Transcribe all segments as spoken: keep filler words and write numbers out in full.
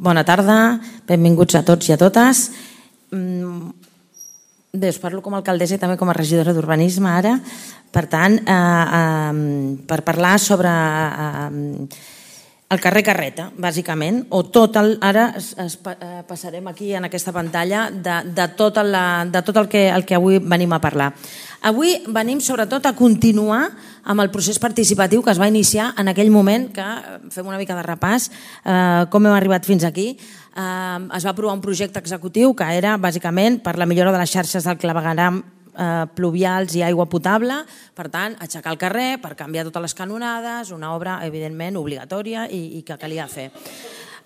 Bona tarda, benvinguts a tots i a totes. Bé, us parlo com a alcaldessa i també com a regidora d'urbanisme ara. Per tant, eh, eh, per parlar sobre eh, el carrer Carreta, bàsicament, o tot el... Ara es, es, eh, passarem aquí en aquesta pantalla de, de, tot, la, de tot el que, el que avui venim a parlar. Avui venim sobretot a continuar amb el procés participatiu que es va iniciar en aquell moment, que fem una mica de repàs, eh, com hem arribat fins aquí. Eh, es va aprovar un projecte executiu que era bàsicament per la millora de les xarxes del clavegueram eh, pluvials i aigua potable, per tant, aixecar el carrer per canviar totes les canonades, una obra evidentment obligatòria i, i que calia fer.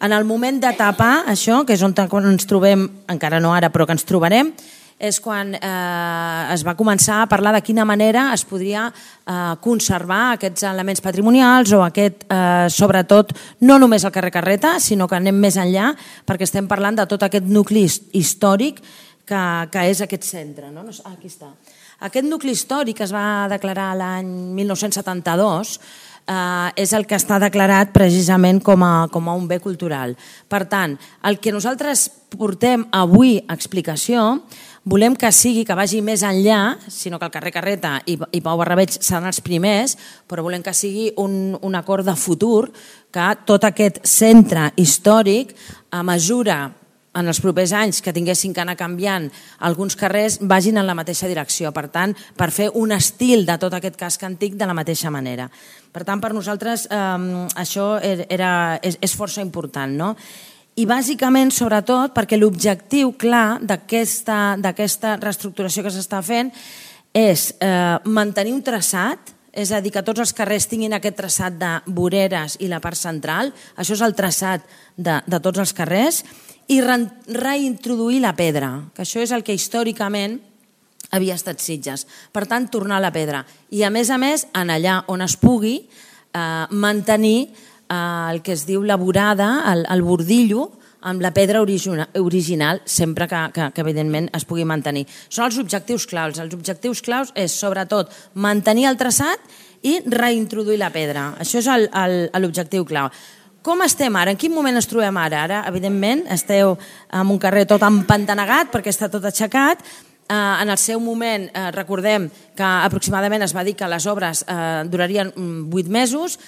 En el moment de tapar això, que és on ens trobem, encara no ara, però que ens trobarem, és quan eh, es va començar a parlar de quina manera es podria eh, conservar aquests elements patrimonials o aquest, eh, sobretot, no només el carrer Carreta, sinó que anem més enllà perquè estem parlant de tot aquest nucli històric que, que és aquest centre. No? Ah, aquí està. Aquest nucli històric es va declarar l'any mil nou-cents setanta-dos, Uh, és el que està declarat precisament com a, com a un bé cultural. Per tant, el que nosaltres portem avui a explicació volem que sigui, que vagi més enllà, sinó que el carrer Carreta i, i Pau Barrabeig seran els primers, però volem que sigui un, un acord de futur, que tot aquest centre històric, a mesura en els propers anys que tinguessin que anar canviant alguns carrers, vagin en la mateixa direcció. Per tant, per fer un estil de tot aquest casc antic de la mateixa manera. Per tant, per nosaltres eh, això era, és, és força important, no? I bàsicament, sobretot, perquè l'objectiu clar d'aquesta d'aquesta reestructuració que s'està fent és eh, mantenir un traçat, és a dir, que tots els carrers tinguin aquest traçat de voreres i la part central, això és el traçat de, de tots els carrers, i re reintroduir la pedra, que això és el que històricament havia estat Sitges. Per tant, tornar a la pedra. I a més a més, en allà on es pugui, eh, mantenir eh, el que es diu la vorada, el, el bordillo, amb la pedra original, original sempre que, que, que evidentment es pugui mantenir. Són els objectius claus. Els objectius claus és sobretot mantenir el traçat i reintroduir la pedra. Això és l'objectiu clau. Com estem ara? En quin moment ens trobem ara? Ara, evidentment, esteu en un carrer tot empantanegat perquè està tot aixecat. En el seu moment, recordem que aproximadament es va dir que les obres durarien vuit mesos,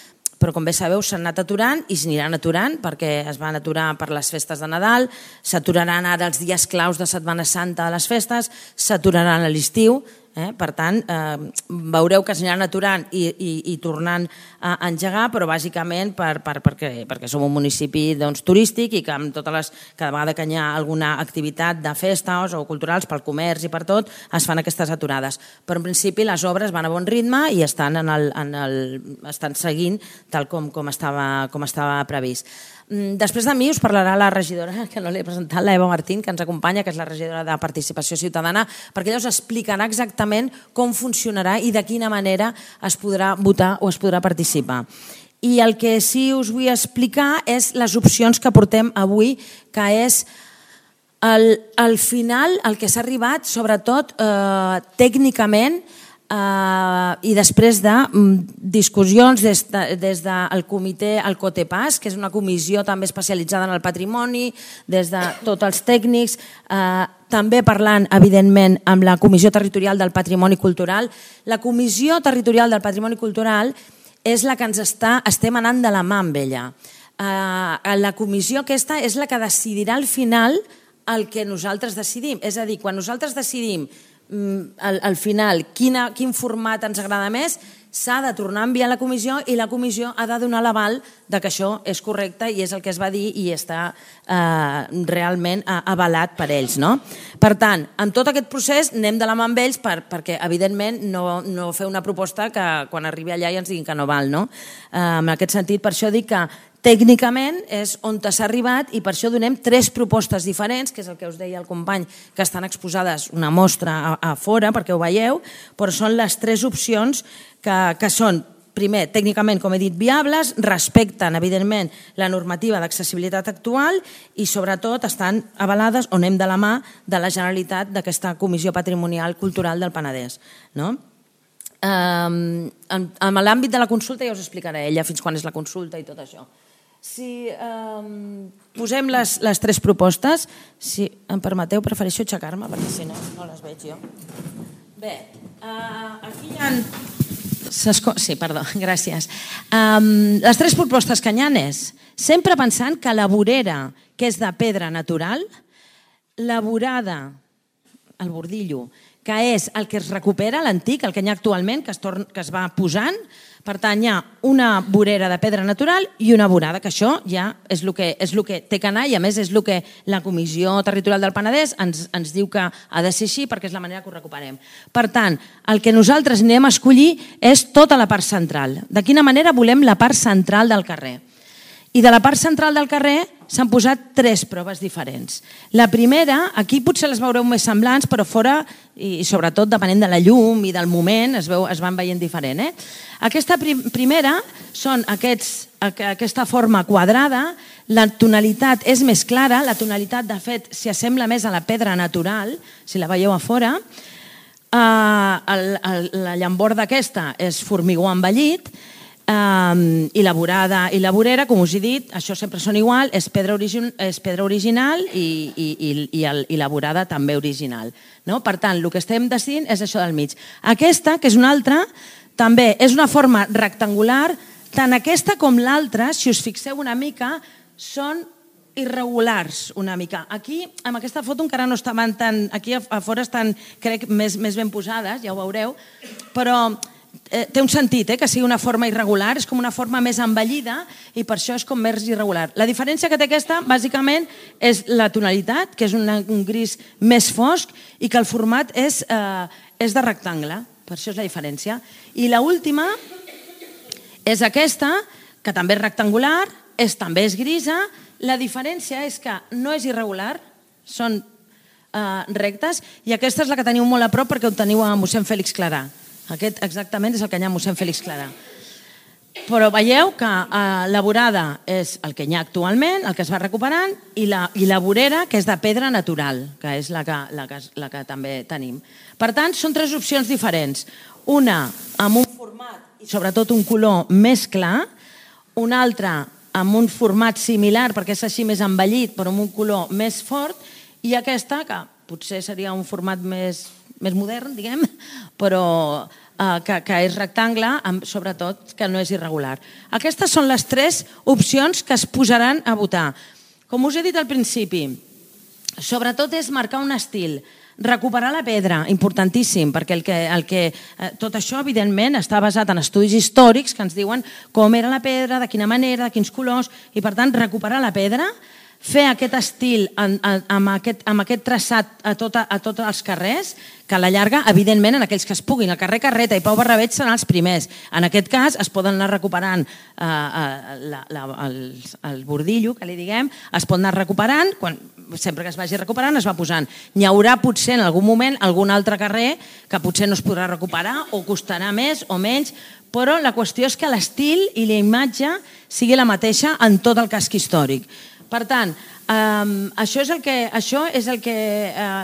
però com bé sabeu s'han anat aturant i s'aniran aturant perquè es van aturar per les festes de Nadal, s'aturaran ara els dies claus de Setmana Santa de les festes, s'aturaran a l'estiu. Eh? Per tant, eh, veureu que s'aniran aturant i, i, i tornant a engegar, però bàsicament per, per, perquè, perquè som un municipi doncs, turístic i que amb totes les, cada vegada que hi ha alguna activitat de festes o culturals pel comerç i per tot, es fan aquestes aturades. Però en principi les obres van a bon ritme i estan, en el, en el, estan seguint tal com, com, estava, com estava previst. Després de mi us parlarà la regidora, que no l'he presentat, la Eva Martín, que ens acompanya, que és la regidora de Participació Ciutadana, perquè ella us explicarà exactament com funcionarà i de quina manera es podrà votar o es podrà participar. I el que sí us vull explicar és les opcions que portem avui, que és el, al final el que s'ha arribat, sobretot eh, tècnicament, Uh, i després de um, discussions des, de, des del comitè, el COTEPAS, que és una comissió també especialitzada en el patrimoni, des de tots els tècnics, uh, també parlant, evidentment, amb la Comissió Territorial del Patrimoni Cultural. La Comissió Territorial del Patrimoni Cultural és la que ens està, estem anant de la mà amb ella. Uh, la comissió aquesta és la que decidirà al final el que nosaltres decidim. És a dir, quan nosaltres decidim Al, al final, quina, quin format ens agrada més, s'ha de tornar a enviar a la comissió i la comissió ha de donar l'aval de que això és correcte i és el que es va dir i està eh, realment avalat per ells. No? Per tant, en tot aquest procés anem de la mà amb ells per, perquè, evidentment, no, no fer una proposta que quan arribi allà ja ens diguin que no val. No? Eh, en aquest sentit, per això dic que tècnicament és on s'ha arribat i per això donem tres propostes diferents, que és el que us deia el company, que estan exposades una mostra a, a fora perquè ho veieu, però són les tres opcions que, que són, primer, tècnicament, com he dit, viables, respecten, evidentment, la normativa d'accessibilitat actual i, sobretot, estan avalades o anem de la mà de la Generalitat d'aquesta Comissió Patrimonial Cultural del Penedès. No? Um, en, en l'àmbit de la consulta ja us explicaré ella fins quan és la consulta i tot això. si posem les tres propostes, si em permeteu, prefereixo aixecar-me perquè si no, no les veig jo. Bé, aquí hi ha... Sí, perdó, gràcies. Les tres propostes que hi ha és sempre pensant que la vorera, que és de pedra natural, la vorada, el bordillo, que és el que es recupera, l'antic, el que hi ha actualment, que es va posant. Per tant, hi ha una vorera de pedra natural i una vorada, que això ja és el que té que anar i, a més, és el que la Comissió Territorial del Penedès ens diu que ha de ser així perquè és la manera que ho recuperem. Per tant, el que nosaltres anirem a escollir és tota la part central. De quina manera volem la part central del carrer? I de la part central del carrer s'han posat tres proves diferents. La primera, aquí potser les veureu més semblants, però fora, i sobretot depenent de la llum i del moment, es van veient diferent. Aquesta primera són aquesta forma quadrada, la tonalitat és més clara, la tonalitat, de fet, s'hi assembla més a la pedra natural, si la veieu a fora. La llamborda aquesta és formigó envellit, i la vorada i la vorera, com us he dit, això sempre són igual, és pedra original i la vorada també original. Per tant, el que estem decidint és això del mig. Aquesta, que és una altra, també és una forma rectangular, tant aquesta com l'altra, si us fixeu una mica, són irregulars una mica. Aquí, amb aquesta foto encara no estaven tan... Aquí a fora estan, crec, més ben posades, ja ho veureu, però... té un sentit, que sigui una forma irregular, és com una forma més envellida i per això és com més irregular. La diferència que té aquesta, bàsicament, és la tonalitat, que és un gris més fosc i que el format és de rectangle, per això és la diferència. I l'última és aquesta, que també és rectangular, també és grisa. La diferència és que no és irregular, són rectes, i aquesta és la que teniu molt a prop perquè ho teniu a mossèn Fèlix Clarà. Aquest exactament és el que hi ha a mossèn Fèlix Clarà. Però veieu que la vorada és el que hi ha actualment, el que es va recuperant, i la vorera, que és de pedra natural, que és la que també tenim. Per tant, són tres opcions diferents. Una amb un format i sobretot un color més clar, una altra amb un format similar, perquè és així més envellit, però amb un color més fort, i aquesta, que potser seria un format més modern, diguem, però que és rectangle, sobretot que no és irregular. Aquestes són les tres opcions que es posaran a votar. Com us he dit al principi, sobretot és marcar un estil, recuperar la pedra, importantíssim, perquè tot això, evidentment, està basat en estudis històrics que ens diuen com era la pedra, de quina manera, de quins colors, i per tant, recuperar la pedra, fer aquest estil amb aquest traçat a tots els carrers, que a la llarga, evidentment, en aquells que es puguin. El carrer Carreta i Pau Barrabeig seran els primers. En aquest cas, es poden anar recuperant el bordillo, que li diguem, es pot anar recuperant, sempre que es vagi recuperant es va posant. N'hi haurà potser en algun moment algun altre carrer que potser no es podrà recuperar o costarà més o menys, però la qüestió és que l'estil i la imatge sigui la mateixa en tot el casc històric. Per tant, això és el que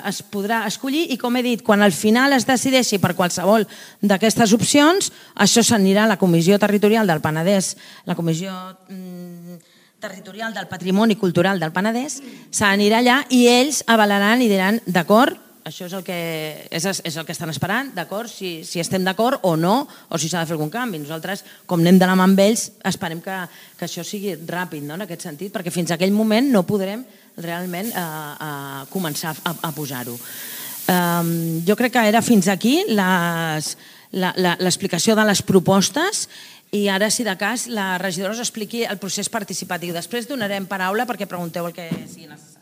es podrà escollir i, com he dit, quan al final es decideixi per qualsevol d'aquestes opcions, això s'anirà a la Comissió Territorial del Penedès, la Comissió Territorial del Patrimoni Cultural del Penedès, s'anirà allà i ells avalaran i diran, d'acord, això és el que estan esperant, d'acord, si estem d'acord o no, o si s'ha de fer algun canvi. Nosaltres, com anem de la mà amb ells, esperem que això sigui ràpid, en aquest sentit, perquè fins a aquell moment no podrem realment començar a posar-ho. Jo crec que era fins aquí l'explicació de les propostes i ara, si de cas, la regidora us expliqui el procés participatiu. Després donarem paraula perquè pregunteu el que sigui necessari.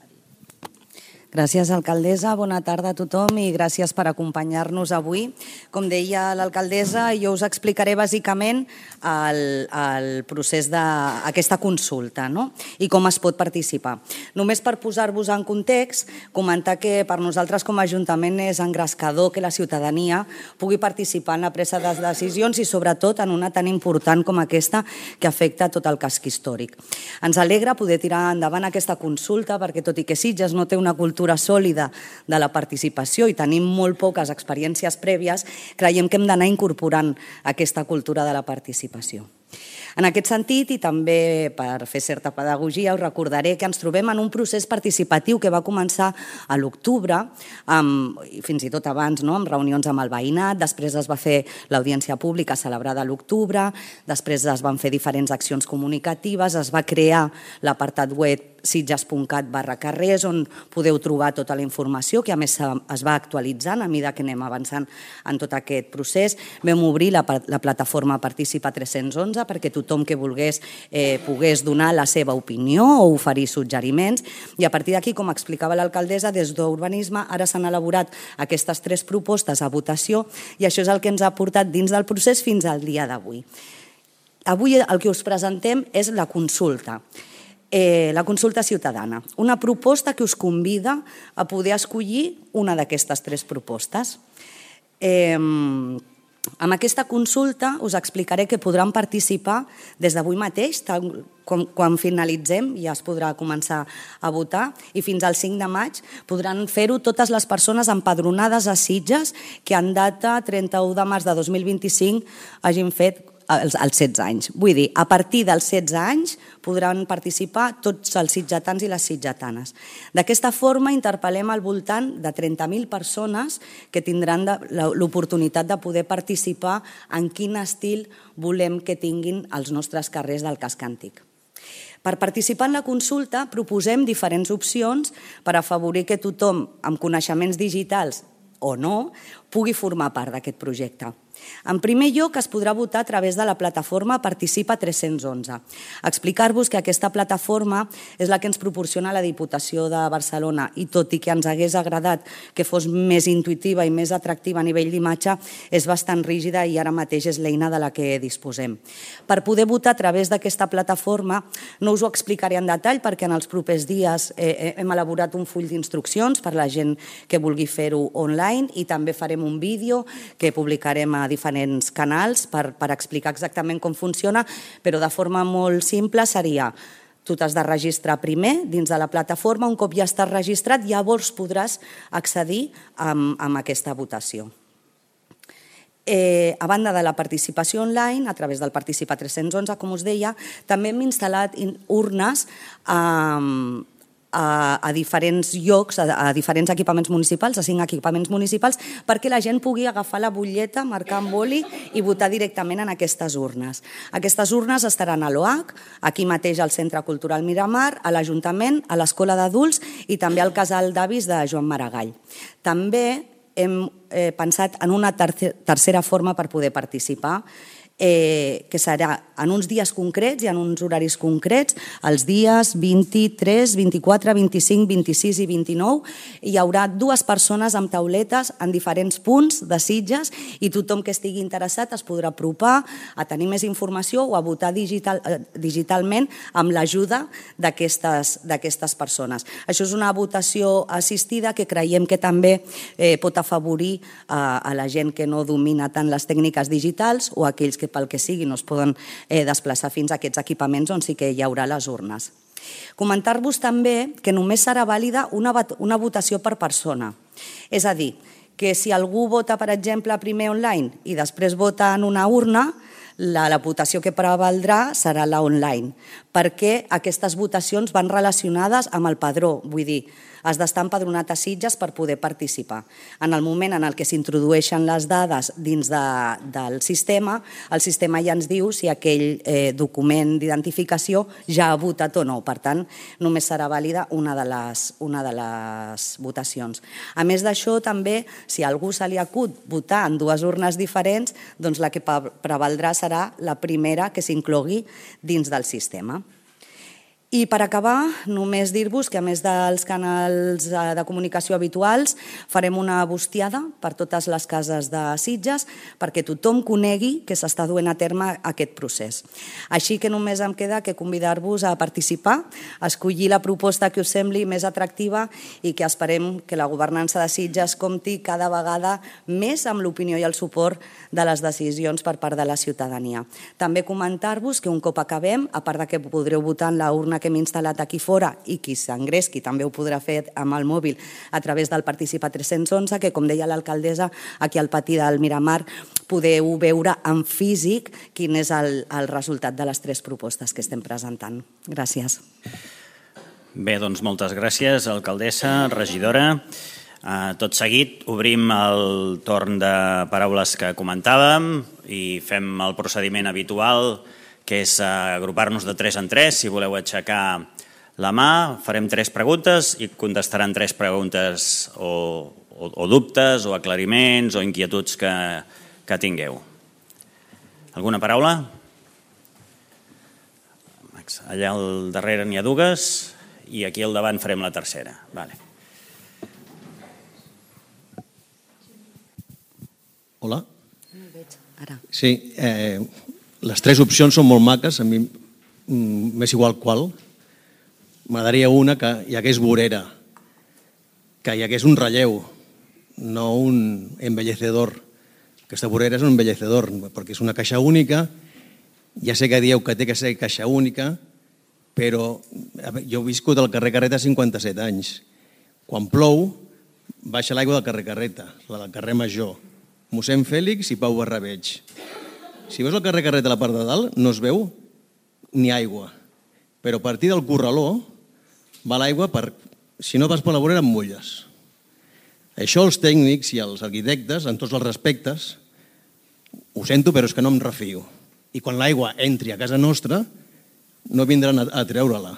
Gràcies, alcaldessa. Bona tarda a tothom i gràcies per acompanyar-nos avui. Com deia l'alcaldessa, jo us explicaré bàsicament el procés d'aquesta consulta i com es pot participar. Només per posar-vos en context, comentar que per nosaltres com a Ajuntament és engrescador que la ciutadania pugui participar en la presa de decisions i sobretot en una tan important com aquesta que afecta tot el casc històric. Ens alegra poder tirar endavant aquesta consulta perquè, tot i que Sitges no té una cultura sòlida de la participació i tenim molt poques experiències prèvies, creiem que hem d'anar incorporant aquesta cultura de la participació. En aquest sentit, i també per fer certa pedagogia, us recordaré que ens trobem en un procés participatiu que va començar a l'octubre, fins i tot abans, amb reunions amb el veïnat, després es va fer l'audiència pública celebrada a l'octubre, després es van fer diferents accions comunicatives, es va crear l'apartat web sitges punt cat barra carrers, on podeu trobar tota la informació, que a més es va actualitzant a mesura que anem avançant en tot aquest procés. Vam obrir la plataforma Participa tres-cents onze perquè tothom que volgués pogués donar la seva opinió o oferir suggeriments, i a partir d'aquí, com explicava l'alcaldessa, des d'Urbanisme ara s'han elaborat aquestes tres propostes a votació, i això és el que ens ha portat dins del procés fins al dia d'avui. Avui el que us presentem és la consulta. La consulta ciutadana, una proposta que us convida a poder escollir una d'aquestes tres propostes. Amb aquesta consulta us explicaré que podran participar des d'avui mateix, quan finalitzem ja es podrà començar a votar, i fins al cinc de maig podran fer-ho totes les persones empadronades a Sitges que en data trenta-u de març de dos mil vint-i-cinc hagin fet els setze anys. Vull dir, a partir dels setze anys podran participar tots els sitgetans i les sitgetanes. D'aquesta forma interpel·lem al voltant de trenta mil persones que tindran l'oportunitat de poder participar en quin estil volem que tinguin els nostres carrers del casc antic. Per participar en la consulta proposem diferents opcions per afavorir que tothom amb coneixements digitals o no pugui formar part d'aquest projecte. En primer lloc, es podrà votar a través de la plataforma Participa tres-cents onze. Explicar-vos que aquesta plataforma és la que ens proporciona la Diputació de Barcelona, i tot i que ens hagués agradat que fos més intuïtiva i més atractiva a nivell d'imatge, és bastant rígida i ara mateix és l'eina de la que disposem. Per poder votar a través d'aquesta plataforma, no us ho explicaré en detall perquè en els propers dies hem elaborat un full d'instruccions per a la gent que vulgui fer-ho online, i també farem un vídeo que publicarem a diferents canals per explicar exactament com funciona, però de forma molt simple seria: tu t'has de registrar primer dins de la plataforma, un cop ja estàs registrat llavors podràs accedir a aquesta votació. A banda de la participació online, a través del Participa tres-cents onze, com us deia, també hem instal·lat urnes a a diferents llocs, a diferents equipaments municipals, a cinc equipaments municipals, perquè la gent pugui agafar la butlleta, marcar amb boli i votar directament en aquestes urnes. Aquestes urnes estaran a l'O H, aquí mateix al Centre Cultural Miramar, a l'Ajuntament, a l'Escola d'Adults i també al Casal d'Avis de Joan Maragall. També hem pensat en una tercera forma per poder participar, que serà en uns dies concrets i en uns horaris concrets, els dies vint-i-tres, vint-i-quatre, vint-i-cinc, vint-i-sis i vint-i-nou. Hi haurà dues persones amb tauletes en diferents punts de Sitges i tothom que estigui interessat es podrà apropar a tenir més informació o a votar digitalment amb l'ajuda d'aquestes persones. Això és una votació assistida que creiem que també pot afavorir a la gent que no domina tant les tècniques digitals o aquells que pel que sigui no es poden desplaçar fins a aquests equipaments on sí que hi haurà les urnes. Comentar-vos també que només serà vàlida una votació per persona. És a dir, que si algú vota, per exemple, primer online i després vota en una urna, la votació que prevaldrà serà la online, perquè aquestes votacions van relacionades amb el padró, vull dir, has d'estar empadronat a Sitges per poder participar. En el moment en el que s'introdueixen les dades dins del sistema, el sistema ja ens diu si aquell document d'identificació ja ha votat o no. Per tant, només serà vàlida una de les votacions. A més d'això, també, si a algú se li acut votar en dues urnes diferents, doncs la que prevaldrà serà la primera que s'inclogui dins del sistema. I per acabar, només dir-vos que a més dels canals de comunicació habituals farem una bustiada per totes les cases de Sitges perquè tothom conegui que s'està duent a terme aquest procés. Així que només em queda que convidar-vos a participar, a escollir la proposta que us sembli més atractiva i que esperem que la governança de Sitges compti cada vegada més amb l'opinió i el suport de les decisions per part de la ciutadania. També comentar-vos que un cop acabem, a part que podreu votar en la urna que que hem instal·lat aquí fora, i qui s'engresqui també ho podrà fer amb el mòbil a través del Participa tres cents i onze, que com deia l'alcaldessa, aquí al pati del Miramar podeu veure en físic quin és el, el resultat de les tres propostes que estem presentant. Gràcies. Bé, doncs moltes gràcies, alcaldessa, regidora. Tot seguit obrim el torn de paraules que comentàvem i fem el procediment habitual, que és agrupar-nos de tres en tres. Si voleu aixecar la mà, farem tres preguntes i contestaran tres preguntes o, o, o dubtes o aclariments o inquietuds que, que tingueu. Alguna paraula? Allà al darrere n'hi ha dues i aquí al davant farem la tercera. Vale. Hola. Ara. Sí, eh, les tres opcions són molt maques, a mi m'és igual qual. M'agradaria una que hi hagués vorera, que hi hagués un relleu, no un embellecedor. Aquesta vorera és un embellecedor, perquè és una caixa única. Ja sé que dieu que té que ser caixa única, però jo he viscut al carrer Carreta cinquanta-set anys. Quan plou, baixa l'aigua del carrer Carreta, la del carrer Major, mossèn Fèlix i Pau Barrabeig. Si veus el carrer Carreta a la part de dalt, no es veu ni aigua. Però a partir del corraló va l'aigua per... Si no vas per la vorera, em mulles. Això els tècnics i els arquitectes, en tots els respectes, ho sento, però és que no em refio. I quan l'aigua entri a casa nostra, no vindran a treure-la.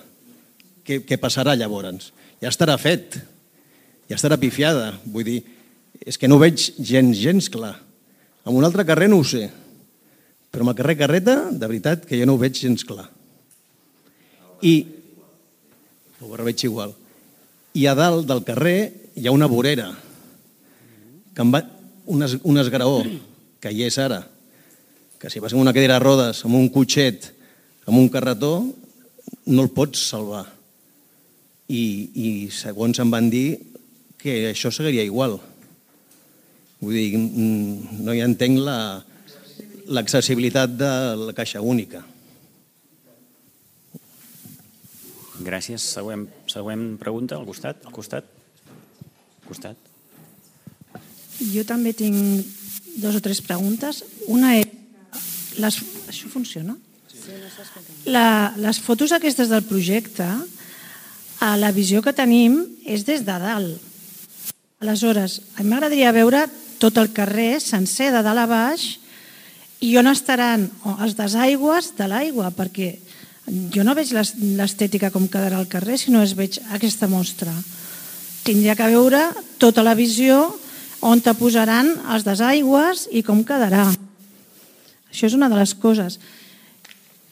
Què, què passarà llavors? Ja estarà fet, ja estarà pifiada. Vull dir, és que no ho veig gens, gens clar. En un altre carrer no ho sé, però en el carrer Carreta, de veritat, que jo no ho veig gens clar. I ho veig igual. I a dalt del carrer hi ha una vorera, que em va, un, es, un esgraó, que hi és ara, que si vas amb una cadira de rodes, amb un cotxet, amb un carretó, no el pots salvar. I, i segons em van dir que això seguiria igual. Vull dir, no hi entenc l'accessibilitat de la caixa única. Gràcies. Següent, següent pregunta, al costat. Al costat. Al costat. Jo també tinc dos o tres preguntes. Una és... Les, això funciona? La, les fotos aquestes del projecte, a la visió que tenim és des de dalt. Aleshores, a mi m'agradaria veure tot el carrer sencer de dalt a baix i on estaran els desaigües de l'aigua, perquè jo no veig l'estètica com quedarà al carrer si no es veig aquesta mostra. Tindria que veure tota la visió on te posaran els desaigües i com quedarà. Això és una de les coses.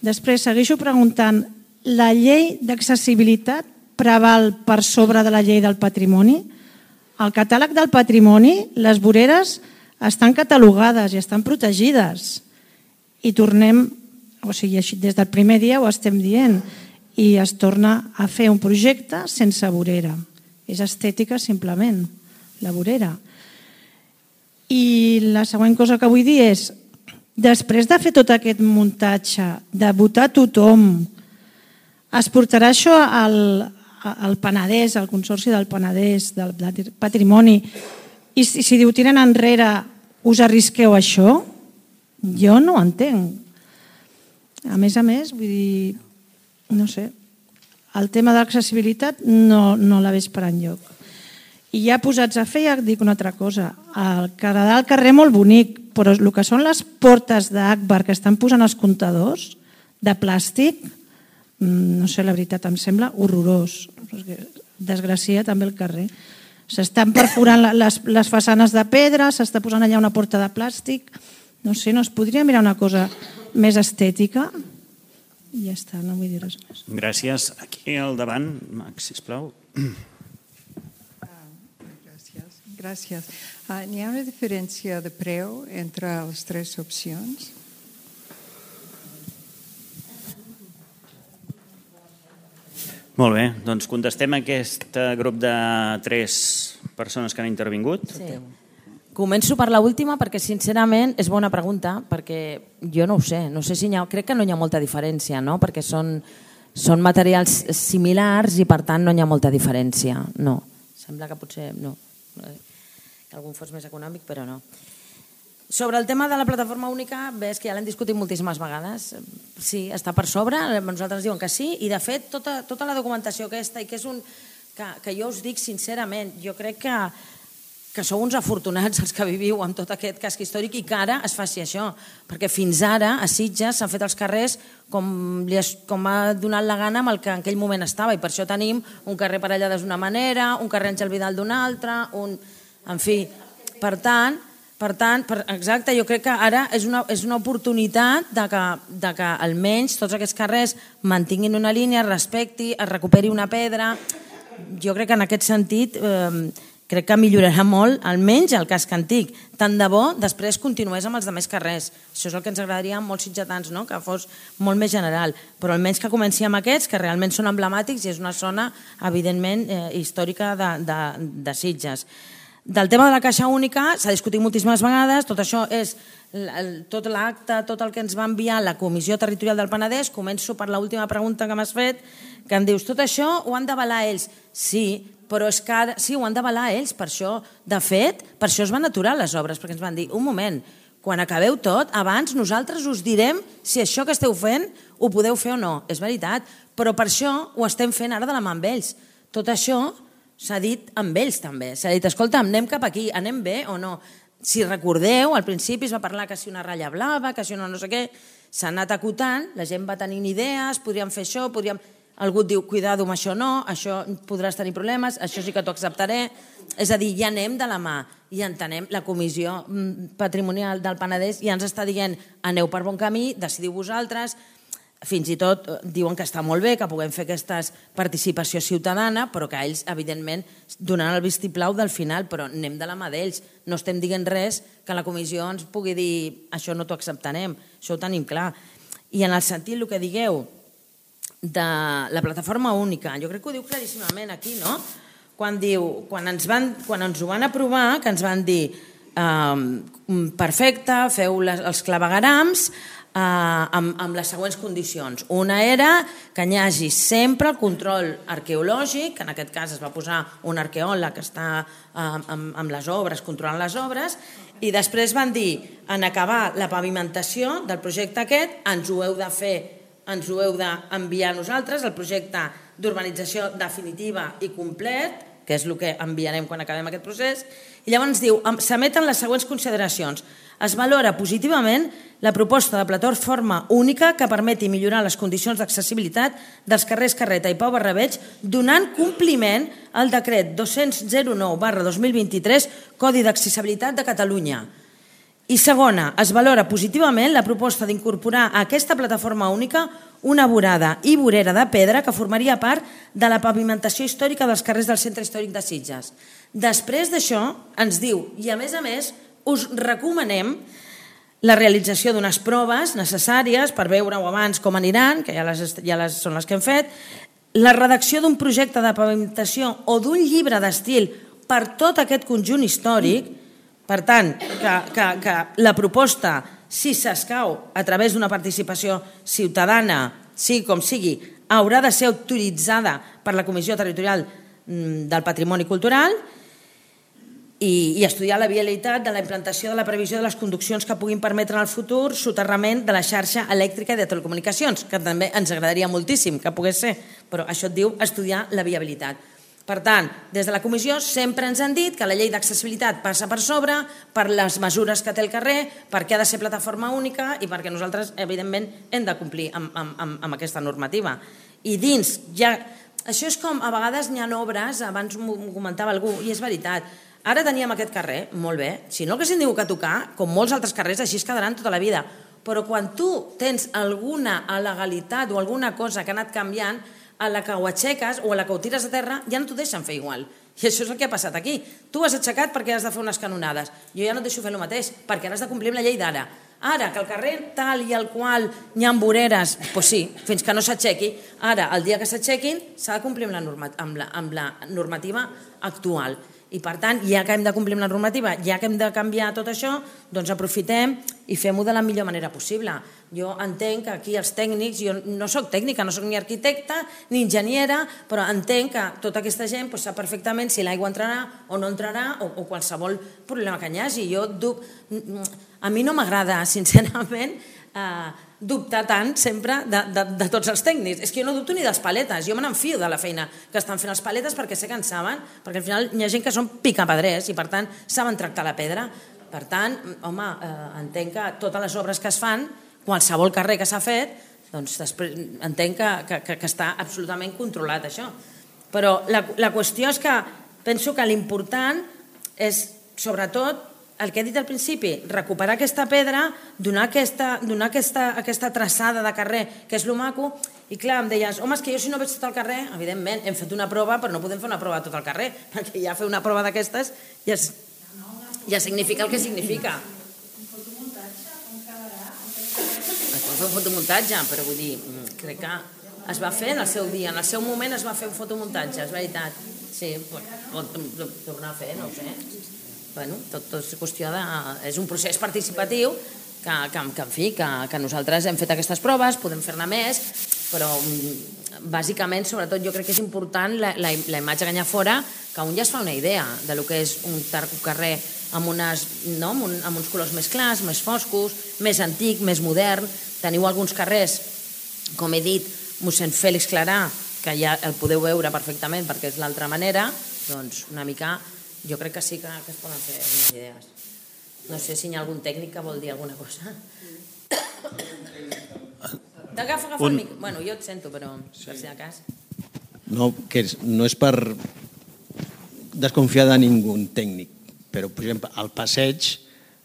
Després segueixo preguntant, la llei d'accessibilitat preval per sobre de la llei del patrimoni? Al catàleg del patrimoni, les voreres estan catalogades i estan protegides. I tornem, o sigui, des del primer dia ho estem dient, i es torna a fer un projecte sense vorera. És estètica, simplement, la vorera. I la següent cosa que vull dir és, després de fer tot aquest muntatge, de votar tothom, es portarà això al... el Penedès, el Consorci del Penedès, del Patrimoni, i si, si diu tiren enrere, us arrisqueu a això? Jo no ho entenc. A més a més, vull dir, no sé, el tema de l'accessibilitat no, no la veig per enlloc. I ja posats a fer, ja dic una altra cosa, el quedarà al carrer molt bonic, però el que són les portes d'Akbar que estan posant els comptadors de plàstic, no sé, la veritat, em sembla horrorós. Desgracia també el carrer. S'estan perforant les, les façanes de pedra, s'està posant allà una porta de plàstic. No sé, no es podria mirar una cosa més estètica? I ja està, no vull dir res més. Gràcies. Aquí al davant, Max, sisplau. Gràcies. Gràcies. Uh, N'hi ha una diferència de preu entre les tres opcions? Molt bé, doncs contestem a aquest grup de tres persones que han intervingut. Sí. Començo per l'última perquè, sincerament, és bona pregunta, perquè jo no ho sé, no sé si hi ha, crec que no hi ha molta diferència, no? Perquè són, són materials similars i per tant no hi ha molta diferència. No, sembla que potser no, que algun fos més econòmic, però no. Sobre el tema de la plataforma única, ves que ja l'hem discutit moltíssimes vegades. Sí, està per sobre, nosaltres diuen que sí, i de fet tota, tota la documentació aquesta, i que és un... que, que jo us dic sincerament, jo crec que que sou uns afortunats els que viviu amb tot aquest casc històric i que ara es faci això, perquè fins ara a Sitges s'han fet els carrers com, li has, com ha donat la gana amb el que en aquell moment estava, i per això tenim un carrer Parellades d'una manera, un carrer Àngel Vidal d'una altra, un... en fi, per tant, per tant per, exacte, jo crec que ara és una, és una oportunitat de que, de que almenys tots aquests carrers mantinguin una línia, es respecti, es recuperi una pedra. Jo crec que en aquest sentit... Eh, crec que millorarà molt, almenys el casc antic. Tant de bo, després continués amb els altres carrers. Això és el que ens agradaria a molts sitgetans, no? Que fos molt més general. Però almenys que comenci amb aquests, que realment són emblemàtics i és una zona, evidentment, eh, històrica de, de, de Sitges. Del tema de la caixa única s'ha discutit moltíssimes vegades. Tot això és tot l'acte, tot el que ens va enviar la Comissió Territorial del Penedès. Començo per l'última pregunta que m'has fet, que em dius, tot això ho han d'avalar ells? Sí, però és que ara, sí, ho han d'avalar ells, per això, de fet, per això es van aturar les obres, perquè ens van dir, un moment, quan acabeu tot, abans nosaltres us direm si això que esteu fent ho podeu fer o no. És veritat, però per això ho estem fent ara de la mà amb ells. Tot això s'ha dit amb ells també. S'ha dit, escolta, anem cap aquí, anem bé o no? Si recordeu, al principi es va parlar que si una ratlla blava, que si una no sé què, s'ha anat acotant, la gent va tenint idees, podríem fer això, podríem... Algú et diu, cuidado amb això no, això podràs tenir problemes, això sí que t'ho acceptaré. És a dir, ja anem de la mà i entenem, la Comissió Patrimonial del Penedès ja ens està dient, aneu per bon camí, decidiu vosaltres, fins i tot diuen que està molt bé que puguem fer aquesta participació ciutadana, però que ells, evidentment, donaran el vistiplau del final, però anem de la mà d'ells. No estem dient res que la comissió ens pugui dir, això no t'ho acceptarem, això ho tenim clar. I en el sentit, el que digueu, de la plataforma única, jo crec que ho diu claríssimament aquí, no? Quan diu, quan ens, van, quan ens ho van aprovar, que ens van dir eh, perfecte, feu les, els claveguerams eh, amb, amb les següents condicions. Una era que hi hagi sempre el control arqueològic, que en aquest cas es va posar un arqueòleg que està eh, amb, amb les obres, controlant les obres, i després van dir, en acabar la pavimentació del projecte aquest, ens ho heu de fer ens ho heu d'enviar a nosaltres, el projecte d'urbanització definitiva i complet, que és el que enviarem quan acabem aquest procés, i llavors diu, s'emeten les següents consideracions. Es valora positivament la proposta de plataforma única que permeti millorar les condicions d'accessibilitat dels carrers Carreta i Pau Barrabeig, donant compliment al decret dos-cents nou barra dos mil vint-i-tres, Codi d'Accessibilitat de Catalunya. I segona, es valora positivament la proposta d'incorporar a aquesta plataforma única una vorada i vorera de pedra que formaria part de la pavimentació històrica dels carrers del centre històric de Sitges. Després d'això, ens diu, i a més a més, us recomanem la realització d'unes proves necessàries per veure-ho abans com aniran, que ja, les, ja les, són les que hem fet, la redacció d'un projecte de pavimentació o d'un llibre d'estil per tot aquest conjunt històric. Per tant, que, que, que la proposta, si s'escau a través d'una participació ciutadana, sigui com sigui, haurà de ser autoritzada per la Comissió Territorial del Patrimoni Cultural i, i estudiar la viabilitat de la implantació de la previsió de les conduccions que puguin permetre en el futur soterrament de la xarxa elèctrica i de telecomunicacions, que també ens agradaria moltíssim que pogués ser, però això et diu estudiar la viabilitat. Per tant, des de la comissió sempre ens han dit que la llei d'accessibilitat passa per sobre, per les mesures que té el carrer, perquè ha de ser plataforma única i perquè nosaltres, evidentment, hem de complir amb, amb, amb aquesta normativa. I dins, ja, això és com, a vegades hi ha obres, abans m'ho comentava algú, i és veritat, ara teníem aquest carrer, molt bé, si no haguéssim tingut que tocar, com molts altres carrers, així es quedaran tota la vida, però quan tu tens alguna il·legalitat o alguna cosa que ha anat canviant, a la que ho aixeques o a la que ho tires a terra, ja no t'ho deixen fer igual. I això és el que ha passat aquí. Tu has aixecat perquè has de fer unes canonades. Jo ja no et deixo fer el mateix, perquè ara has de complir amb la llei d'ara. Ara, que el carrer tal i el qual hi ha voreres, doncs sí, fins que no s'aixequi. Ara, el dia que s'aixequin, s'ha de complir amb la, norma, amb, la, amb la normativa actual. I per tant, ja que hem de complir amb la normativa, ja que hem de canviar tot això, doncs aprofitem i fem-ho de la millor manera possible. Jo entenc que aquí els tècnics, jo no soc tècnica, no soc ni arquitecta ni enginyera, però entenc que tota aquesta gent sap perfectament si l'aigua entrarà o no entrarà o qualsevol problema que hi hagi. A mi no m'agrada, sincerament, dubtar tant sempre de tots els tècnics. És que jo no dubto ni dels paletes, jo me n'enfio de la feina que estan fent els paletes perquè sé que en saben, perquè al final hi ha gent que són picapedrers i per tant saben tractar la pedra. Per tant, home, entenc que totes les obres que es fan, qualsevol carrer que s'ha fet, doncs després entenc que està absolutament controlat això. Però la qüestió és que penso que l'important és, sobretot, el que he dit al principi, recuperar aquesta pedra, donar aquesta traçada de carrer, que és lo maco, i clar, em deies, home, és que jo si no veig tot el carrer, evidentment, hem fet una prova, però no podem fer una prova de tot el carrer, perquè ja fer una prova d'aquestes ja significa el que significa. Un fotomuntatge, com quedarà? Es pot fer un fotomuntatge, però vull dir, crec que es va fer en el seu dia, en el seu moment es va fer un fotomuntatge, és veritat. Sí, pot tornar a fer, no ho sé. Bueno, tot és qüestió de... És un procés participatiu que, en fi, que nosaltres hem fet aquestes proves, podem fer-ne més, però bàsicament, sobretot, jo crec que és important la imatge que hi ha fora, que un ja es fa una idea de lo que és un carrer amb uns colors més clars, més foscos, més antic, més modern. Teniu alguns carrers, com he dit, mossèn Fèlix Clarà, que ja el podeu veure perfectament perquè és l'altra manera, doncs una mica... Jo crec que sí que es poden fer unes idees. No sé si hi ha algun tècnic que vol dir alguna cosa. T'agafa, agafa el mic. Bueno, jo et sento, però per si de cas. No, que no és per desconfiar de ningú tècnic, però, per exemple, al passeig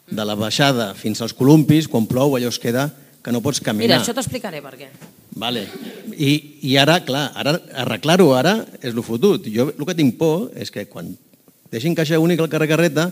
de la baixada fins als columpis, quan plou, allò es queda que no pots caminar. Mira, això t'explicaré per què. Vale. I ara, clar, arreglar-ho ara és el fotut. Jo el que tinc por és que quan deixin caixa única al carrer Carreta,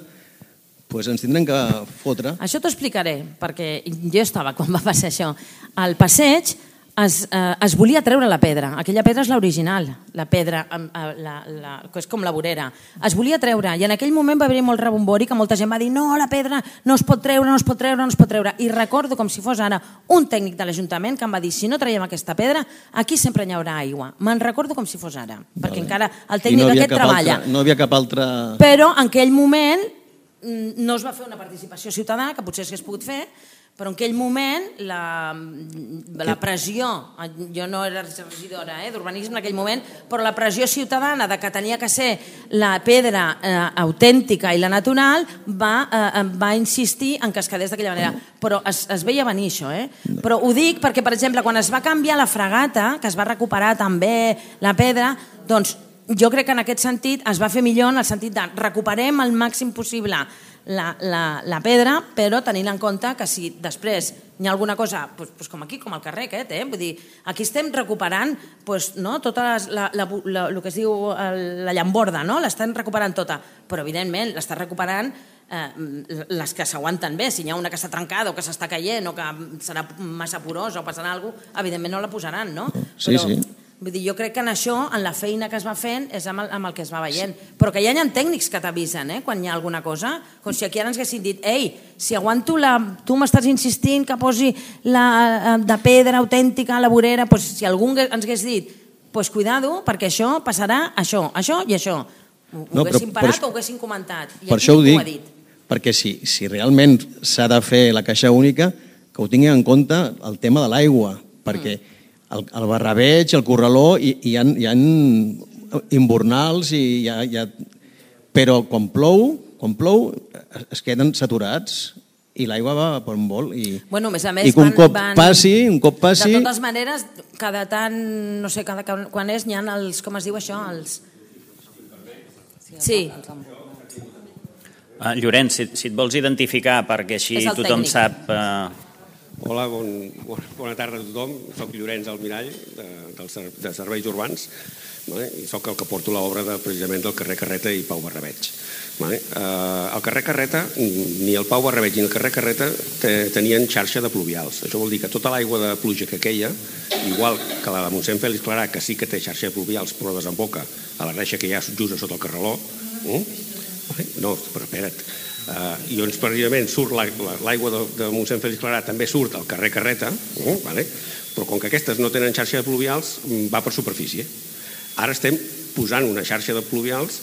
doncs ens tindrem que fotre. Això t'ho explicaré, perquè jo estava quan va passar això. Al passeig es volia treure la pedra. Aquella pedra és l'original, la pedra, que és com la vorera. Es volia treure i en aquell moment va haver-hi molt rebombori que molta gent va dir no, la pedra no es pot treure, no es pot treure, no es pot treure. I recordo com si fos ara un tècnic de l'Ajuntament que em va dir si no traiem aquesta pedra, aquí sempre hi haurà aigua. Me'n recordo com si fos ara, perquè encara el tècnic aquest treballa. No hi havia cap altre... Però en aquell moment no es va fer una participació ciutadana, que potser s'hagués pogut fer, però en aquell moment la pressió, jo no era regidora d'urbanisme en aquell moment, però la pressió ciutadana de que tenia que ser la pedra autèntica i la natural va insistir en que es quedés d'aquella manera. Però es veia venir això. Però ho dic perquè, per exemple, quan es va canviar la fregata, que es va recuperar també la pedra, doncs jo crec que en aquest sentit es va fer millor en el sentit de recuperem el màxim possible la pedra, però tenint en compte que si després hi ha alguna cosa, com aquí, com al carrer aquest, vull dir, aquí estem recuperant tota el que es diu la llamborda, l'estem recuperant tota, però evidentment l'està recuperant les que s'aguanten bé. Si hi ha una que està trencada o que s'està caient o que serà massa porosa o passarà alguna cosa, evidentment no la posaran, no? Sí, sí. Vull dir, jo crec que en això, en la feina que es va fent, és amb el que es va veient. Però que ja hi ha tècnics que t'avisen quan hi ha alguna cosa, com si aquí ara ens haguessin dit ei, si aguanto la... tu m'estàs insistint que posi de pedra autèntica a la vorera, si algú ens hagués dit, doncs cuidado, perquè això passarà això, això i això. Ho haguessin parat o ho haguessin comentat. Per això ho dic, perquè si realment s'ha de fer la caixa única, que ho tinguin en compte el tema de l'aigua, perquè el barrabeig, el corraló, hi ha imbornals, però quan plou, quan plou es queden saturats i l'aigua va per un vol. I un cop passi, un cop passi... De totes maneres, cada tant, no sé quan és, n'hi ha els, com es diu això, els... Sí. Llorenç, si et vols identificar, perquè així tothom sap... Hola, bona tarda a tothom. Soc Llorenç Almirall, de Serveis Urbans, i soc el que porto l'obra precisament del carrer Carreta i Pau Barrabeig. El carrer Carreta, ni el Pau Barrabeig ni el carrer Carreta tenien xarxa de pluvials. Això vol dir que tota l'aigua de pluja que queia, igual que la de mossèn Fèlix Clarà, que sí que té xarxa de pluvials però desemboca a la reixa que hi ha just sota el carreró, No, però espera't. I llavors, precisament, surt l'aigua de Montseny Fèlix Clarà, també surt al carrer Carreta, però com que aquestes no tenen xarxa de pluvials, va per superfície. Ara estem posant una xarxa de pluvials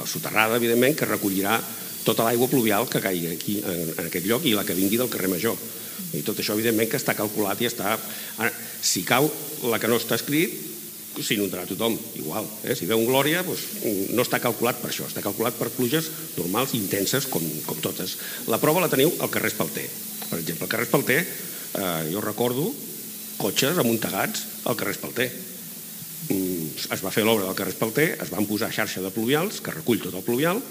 soterrada, evidentment, que recollirà tota l'aigua pluvial que caigui aquí, en aquest lloc, i la que vingui del carrer Major. I tot això, evidentment, que està calculat i està... Ara, si cau la que no està escrit, s'inundarà tothom, igual. Si veu un Glòria, no està calculat per això, està calculat per pluges normals, intenses, com totes. La prova la teniu al carrer Espalter. Per exemple, al carrer Espalter, jo recordo cotxes amuntegats al carrer Espalter. Es va fer l'obra del carrer Espalter, es van posar xarxa de pluvials, que recull tot el pluvial,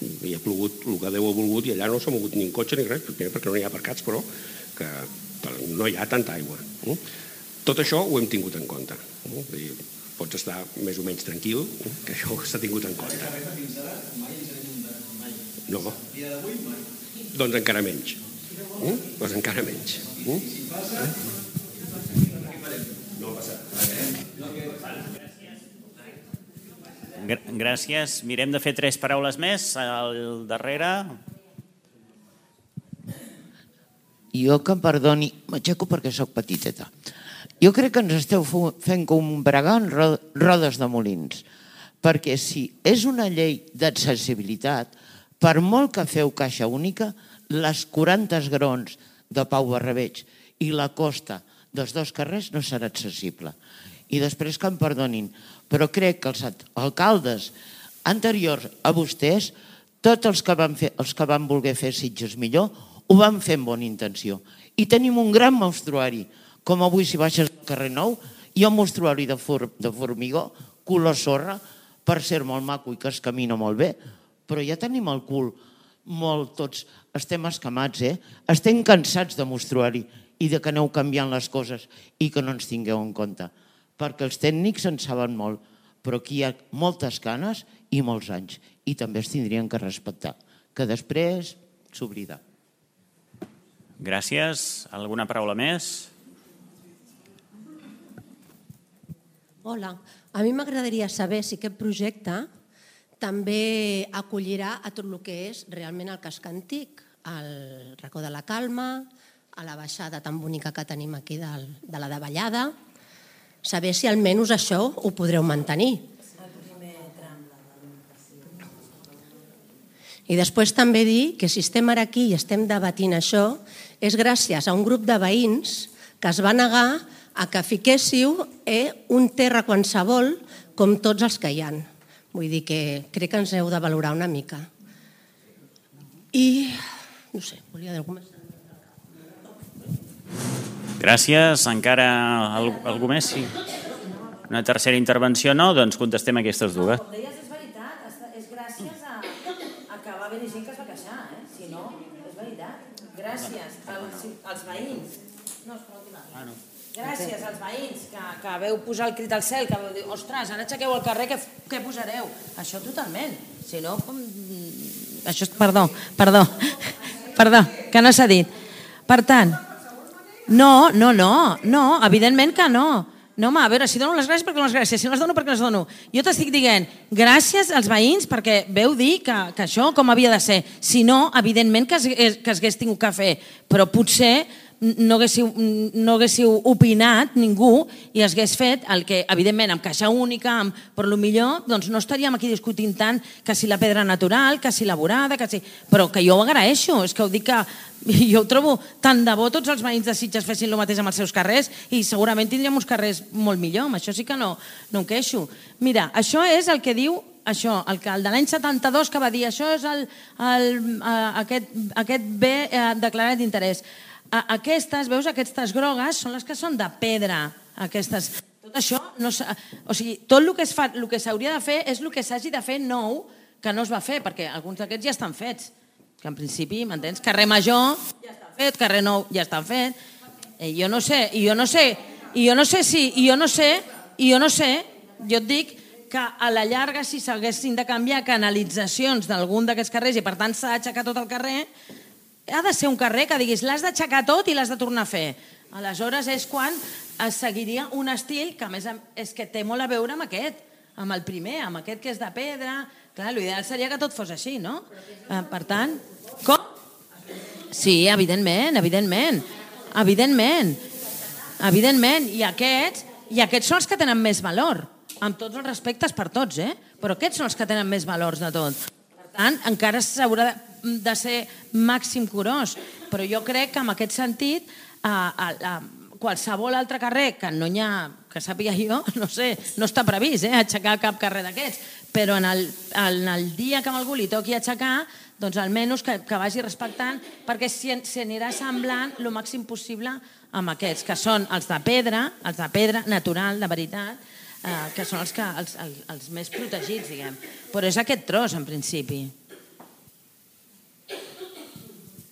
i ha plogut el que Déu ha volgut, i allà no s'ha mogut ni un cotxe ni res, perquè no hi ha aparcats, però que no hi ha tanta aigua. Tot això ho hem tingut en compte. Pots estar més o menys tranquil, que això s'ha tingut en compte. No. Doncs encara menys. Doncs encara menys. No ha passat. Gràcies. Mirem de fer tres paraules més al darrere. Jo, que em perdoni, m'aixeco perquè sóc petiteta. Jo crec que ens esteu fent combregar en rodes de molins, perquè si és una llei d'accessibilitat, per molt que feu caixa única, les quaranta graons de Pau Barrabeig i la costa dels dos carrers no serà accessible. I després que em perdonin, però crec que els alcaldes anteriors a vostès, tots els que van, fer, els que van voler fer Sitges millor, ho van fer amb bona intenció. I tenim un gran monstruari, com avui si baixes al carrer Nou, hi ha un monstruari de formigó, color sorra, per ser molt maco i que es camina molt bé, però ja tenim el cul molt tots, estem escamats, eh? Estem cansats de monstruari i de que aneu canviant les coses i que no ens tingueu en compte. Perquè els tècnics en saben molt, però aquí hi ha moltes ganes i molts anys, i també es tindrien que respectar, que després s'oblida. Gràcies. Alguna paraula més? Hola. A mi m'agradaria saber si aquest projecte també acollirà a tot el que és realment el casc antic, al racó de la Calma, a la baixada tan bonica que tenim aquí de la Davallada. Saber si almenys això ho podreu mantenir. I després també dir que si estem ara aquí i estem debatint això és gràcies a un grup de veïns que es va negar a que fiquéssiu un terra qualsevol com tots els que hi ha. Vull dir que crec que ens heu de valorar una mica. I, no sé, volia dir alguna cosa. Gràcies. Encara algú més? Sí. Una tercera intervenció no? Doncs contestem aquestes dues. Com deies, és veritat. És gràcies a que va haver-hi gent que es va queixar. Si no, és veritat. Gràcies als veïns. No, és per l'última. Ah, no. Gràcies als veïns que veu posar el crit al cel, que veu dir, ostres, ara aixequeu al carrer, què posareu? Això totalment. Si no, com... Això és... Perdó, perdó, perdó, que no s'ha dit. Per tant, no, no, no, no, evidentment que no. No, home, a veure, si dono les gràcies, perquè dono les gràcies. Si no les dono, perquè les dono. Jo t'estic dient gràcies als veïns perquè veu dir que això com havia de ser. Si no, evidentment que es hagués tingut que fer, però potser no haguéssiu opinat ningú i hagués fet el que, evidentment, amb caixa única, per lo millor, doncs no estaríem aquí discutint tant que si la pedra natural, que si la vorada, que si... Però que jo ho agraeixo, és que ho dic que jo ho trobo tant de bo tots els veïns de Sitges fessin el mateix amb els seus carrers i segurament tindríem uns carrers molt millor, amb això sí que no em queixo. Mira, això és el que diu això, el de l'any setanta-dos que va dir això és aquest bé declarat d'interès. Aquestes, veus, aquestes grogues són les que són de pedra. Aquestes. Tot això, o sigui, tot el que s'hauria de fer és el que s'hagi de fer nou que no es va fer, perquè alguns d'aquests ja estan fets. Que en principi, m'entens? Carrer Major ja està fet, carrer Nou ja està fet. I jo no sé, i jo no sé, i jo no sé si, i jo no sé, i jo no sé, jo et dic que a la llarga si s'haguessin de canviar canalitzacions d'algun d'aquests carrers i per tant s'ha d'aixecar tot el carrer, ha de ser un carrer que diguis l'has d'aixecar tot i l'has de tornar a fer. Aleshores és quan es seguiria un estil que a més és que té molt a veure amb aquest. amb el primer, amb aquest que és de pedra. Clar, l'ideal seria que tot fos així, no? Per tant, com? Sí, evidentment, evidentment. Evidentment. Evidentment. I aquests, i aquests són els que tenen més valor. Amb tots els respectes per tots, eh? Però aquests són els que tenen més valors de tot. Per tant, encara s'haurà de ser màxim curós. Però jo crec que en aquest sentit, a, a, a qualsevol altre carrer, que no n'hi ha, que sàpiga jo, no sé, no està previst, eh, aixecar cap carrer d'aquests, però en el, en el dia que a algú li toqui aixecar, doncs almenys que, que vagi respectant, perquè s'anirà semblant el màxim possible amb aquests, que són els de pedra, els de pedra natural, de veritat, eh, que són els, que, els, els, els més protegits, diguem. Però és aquest tros, en principi.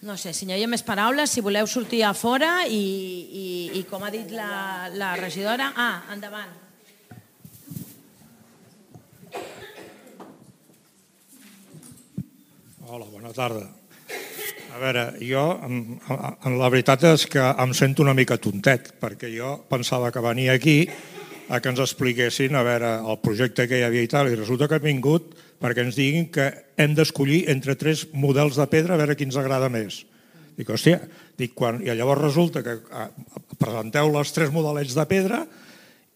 No sé, si no hi ha més paraules, si voleu sortir a fora i, i, i com ha dit la, la regidora... Ah, endavant. Hola, bona tarda. A veure, jo, la veritat és que em sento una mica tontet, perquè jo pensava que venia aquí a que ens expliquessin a veure el projecte que hi havia i tal, i resulta que han vingut perquè ens diguin que hem d'escollir entre tres models de pedra a veure qui ens agrada més. Dic, hòstia, dic, quan, i llavors resulta que presenteu els tres modelets de pedra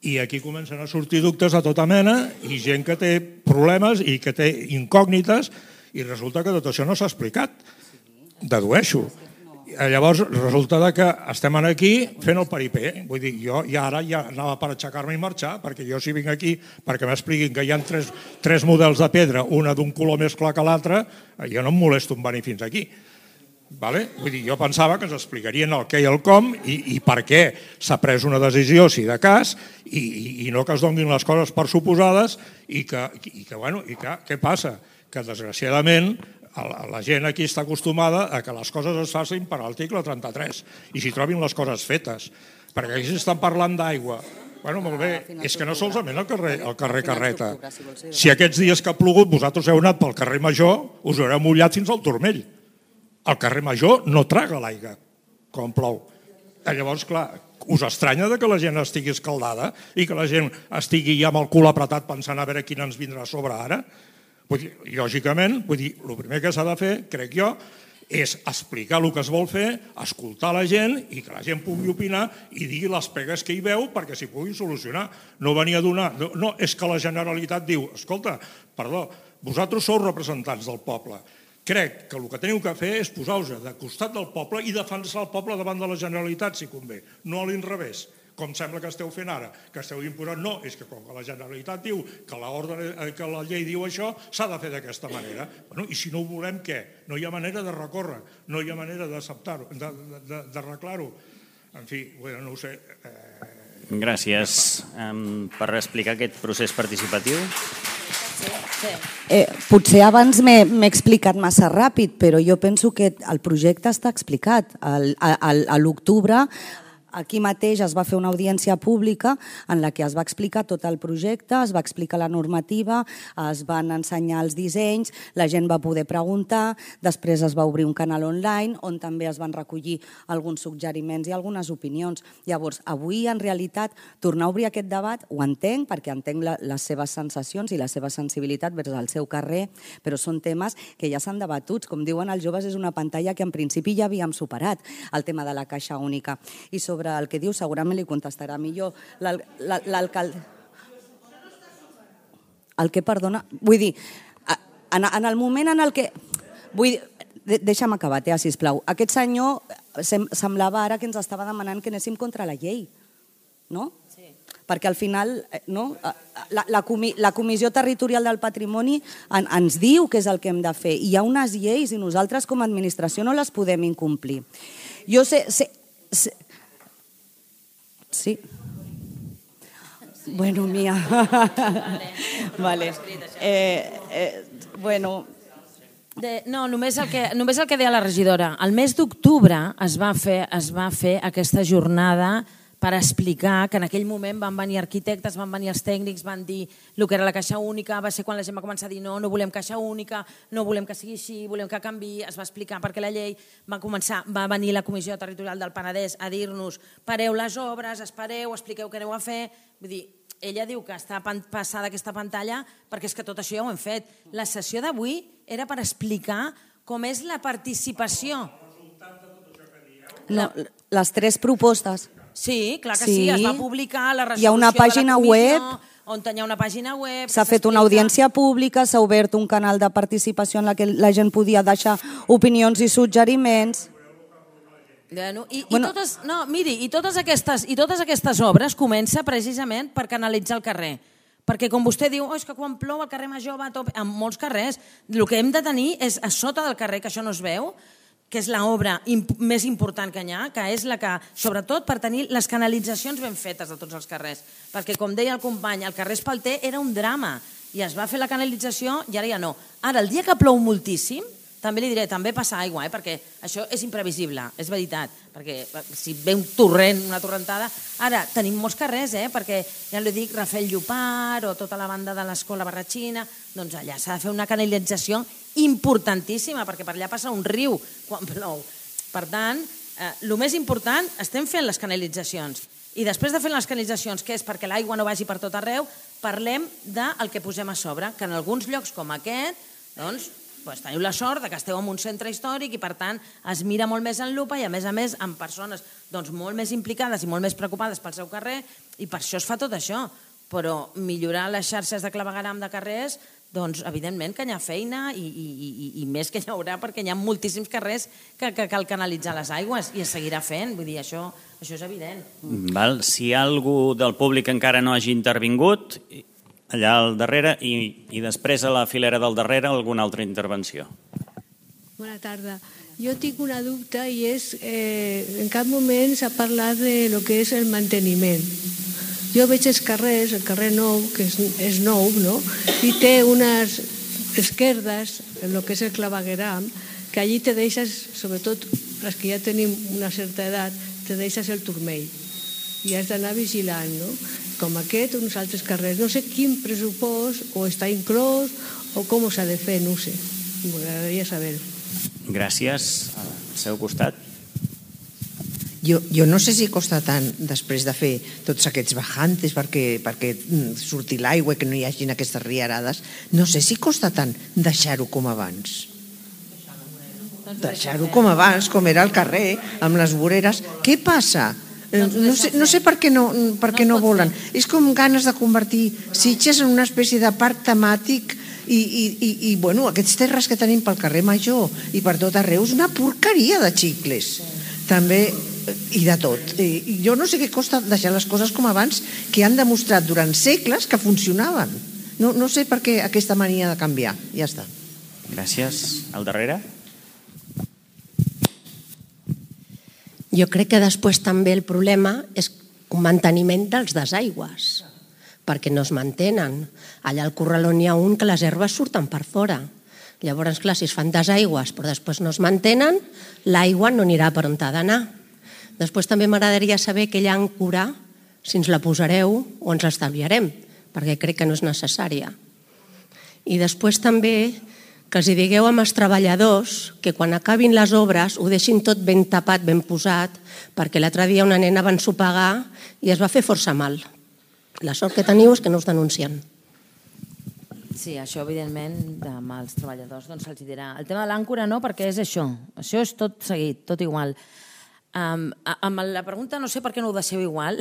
i aquí comencen a sortir dubtes de tota mena i gent que té problemes i que té incògnites i resulta que tot això no s'ha explicat. Dedueixo. Llavors resulta que estem aquí fent el paripé. Vull dir, jo ja ara ja anava per aixecar-me i marxar, perquè jo si vinc aquí perquè m'expliquin que hi ha tres, tres models de pedra, una d'un color més clar que l'altre, jo no em molesto en venir fins aquí. Vale? Vull dir, jo pensava que ens explicarien el què i el com i, i per què s'ha pres una decisió, si de cas, i, i, i no que es donin les coses per suposades i que, i que bueno, i que, què passa? Que desgraciadament la, la gent aquí està acostumada a que les coses es facin per l'article trenta-tres i s'hi trobin les coses fetes. Perquè aquí s'estan parlant d'aigua. Bueno, molt bé, és que no solament el carrer, el carrer Carreta. Si aquests dies que ha plogut vosaltres heu anat pel carrer Major, us haureu mullat fins al turmell. El carrer Major no traga l'aigua quan plou. Llavors, clar, us estranya que la gent estigui escaldada i que la gent estigui ja amb el cul apretat pensant a veure quina ens vindrà a sobre ara? Vull dir, lògicament, vull dir, el primer que s'ha de fer, crec jo, és explicar el que es vol fer, escoltar la gent i que la gent pugui opinar i digui les pegues que hi veu perquè s'hi puguin solucionar. No venir a donar... No, no, és que la Generalitat diu, escolta, perdó, vosaltres sou representants del poble. Crec que el que teniu que fer és posar-vos de costat del poble i defensar el poble davant de la Generalitat, si convé, no a l'inrevés, com sembla que esteu fent ara, que esteu imposant. No, és que com que la Generalitat diu que la, ordre, que la llei diu això, s'ha de fer d'aquesta manera. Bueno, i si no ho volem, què? No hi ha manera de recórrer, no hi ha manera d'acceptar-ho, d'arreglar-ho. En fi, bueno, no ho sé. Eh... Gràcies. Um, per explicar aquest procés participatiu... Eh, potser abans m'he explicat massa ràpid, però jo penso que el projecte està explicat. Al, al, a l'octubre aquí mateix es va fer una audiència pública en la que es va explicar tot el projecte, es va explicar la normativa, es van ensenyar els dissenys, la gent va poder preguntar, després es va obrir un canal online on també es van recollir alguns suggeriments i algunes opinions. Llavors, avui, en realitat, tornar a obrir aquest debat ho entenc, perquè entenc la, les seves sensacions i la seva sensibilitat vers el seu carrer, però són temes que ja s'han debatut. Com diuen els joves, és una pantalla que en principi ja havíem superat, el tema de la caixa única. I sobre el que diu segurament li contestarà millor l'alcalde. El que, perdona? Vull dir, en el moment en el que... Vull dir, deixa'm acabar, Tea, sisplau. Aquest senyor semblava ara que ens estava demanant que anéssim contra la llei, no? Sí. Perquè al final no, la, la, comi, la Comissió Territorial del Patrimoni en, ens diu què és el que hem de fer. I hi ha unes lleis i nosaltres com a administració no les podem incomplir. Jo sé... sé, sé Sí. Bueno, mía. Vale. Eh, eh, bueno... De, no, només el, que, només el que deia la regidora. El mes d'octubre es, va fer, es va fer aquesta jornada per explicar que en aquell moment van venir arquitectes, van venir els tècnics, van dir el que era la caixa única, va ser quan la gent va començar a dir no, no volem caixa única, no volem que sigui així, volem que canviï, es va explicar perquè la llei va començar, va venir la Comissió Territorial del Penedès a dir-nos pareu les obres, espereu, expliqueu què aneu a fer, vull dir, ella diu que està passada aquesta pantalla perquè és que tot això ja ho hem fet. La sessió d'avui era per explicar com és la participació. No, les tres propostes. Sí, clar que sí, es va publicar la resolució hi ha una pàgina de la comissió, web, on hi ha una pàgina web... s'ha fet una audiència pública, s'ha obert un canal de participació en la que la gent podia deixar opinions i suggeriments. Bueno, i, bueno, i totes, no, miri, i totes, aquestes, i totes aquestes obres comença precisament per canalitzar el carrer. Perquè com vostè diu, oh, és que quan plou el carrer Major va a tope, en molts carrers, el que hem de tenir és a sota del carrer, que això no es veu, que és l'obra imp més important que hi ha, que és la que, sobretot per tenir les canalitzacions ben fetes de tots els carrers. Perquè, com deia el company, el carrer Espalter era un drama i es va fer la canalització i ara ja no. Ara, el dia que plou moltíssim, també li diré, també passa aigua, eh? Perquè això és imprevisible, és veritat, perquè si ve un torrent, una torrentada... Ara, tenim molts carrers, eh? Perquè ja li dic, Rafael Llopart o tota la banda de l'Escola Barratxina, doncs allà s'ha de fer una canalització importantíssima, perquè per allà passa un riu quan plou. Per tant, eh, el més important, estem fent les canalitzacions. I després de fer les canalitzacions, que és perquè l'aigua no vagi per tot arreu, parlem del que posem a sobre, que en alguns llocs com aquest, doncs, Pues teniu la sort que esteu en un centre històric i, per tant, es mira molt més en lupa i, a més a més, amb persones doncs, molt més implicades i molt més preocupades pel seu carrer, i per això es fa tot això. Però millorar les xarxes de clavegueram de carrers, doncs, evidentment que hi ha feina i, i, i, i més que hi haurà, perquè hi ha moltíssims carrers que, que cal canalitzar les aigües i es seguirà fent. Vull dir, això, això és evident. Val. Si algú del públic encara no hagi intervingut... allà al darrere i, i després a la filera del darrere alguna altra intervenció. Bona tarda. Jo tinc una dubte i és, eh, en cap moment s'ha parlat de lo que és el manteniment. Jo veig els carrers, el carrer Nou, que és, és nou, no? I té unes esquerdes, en lo que és el clavegueram, que allí te deixes, sobretot les que ja tenim una certa edat, te deixes el turmell. I has d'anar vigilant, no? Com aquest o uns altres carrers. No sé quin pressupost o està inclòs o com s'ha de fer, no ho sé. M'agradaria saber-ho. Gràcies. Al seu costat. Jo, jo no sé si costa tant després de fer tots aquests bajantes perquè, perquè surti l'aigua i que no hi hagin aquestes riarades. No sé si costa tant deixar-ho com abans. Deixar-ho com abans, com era el carrer, amb les voreres. Què passa? No sé, no sé per què no, per què no volen. És com ganes de convertir Sitges en una espècie de parc temàtic i, i, i, i bueno, aquests terres que tenim pel carrer Major i per tot arreu és una porqueria de xicles. També, i de tot. I jo no sé què costa deixar les coses com abans, que han demostrat durant segles que funcionaven. No, no sé per què aquesta mania de canviar. Ja està. Gràcies. Al darrere? Jo crec que després també el problema és un manteniment dels desaigües, perquè no es mantenen. Allà al corraló n'hi ha un que les herbes surten per fora. Llavors, clar, si es fan desaigües però després no es mantenen, l'aigua no anirà per on ha d'anar. Després també m'agradaria saber què hi ha en cura, si ens la posareu o ens l'estalviarem, perquè crec que no és necessària. I després també que els digueu amb els treballadors que quan acabin les obres ho deixin tot ben tapat, ben posat, perquè l'altre dia una nena va ensopegar i es va fer força mal. La sort que teniu és que no us denuncien. Sí, això evidentment amb els treballadors doncs se'ls dirà. El tema de l'àncora no, perquè és això. Això és tot seguit, tot igual. Um, amb la pregunta no sé per què no ho deixeu igual.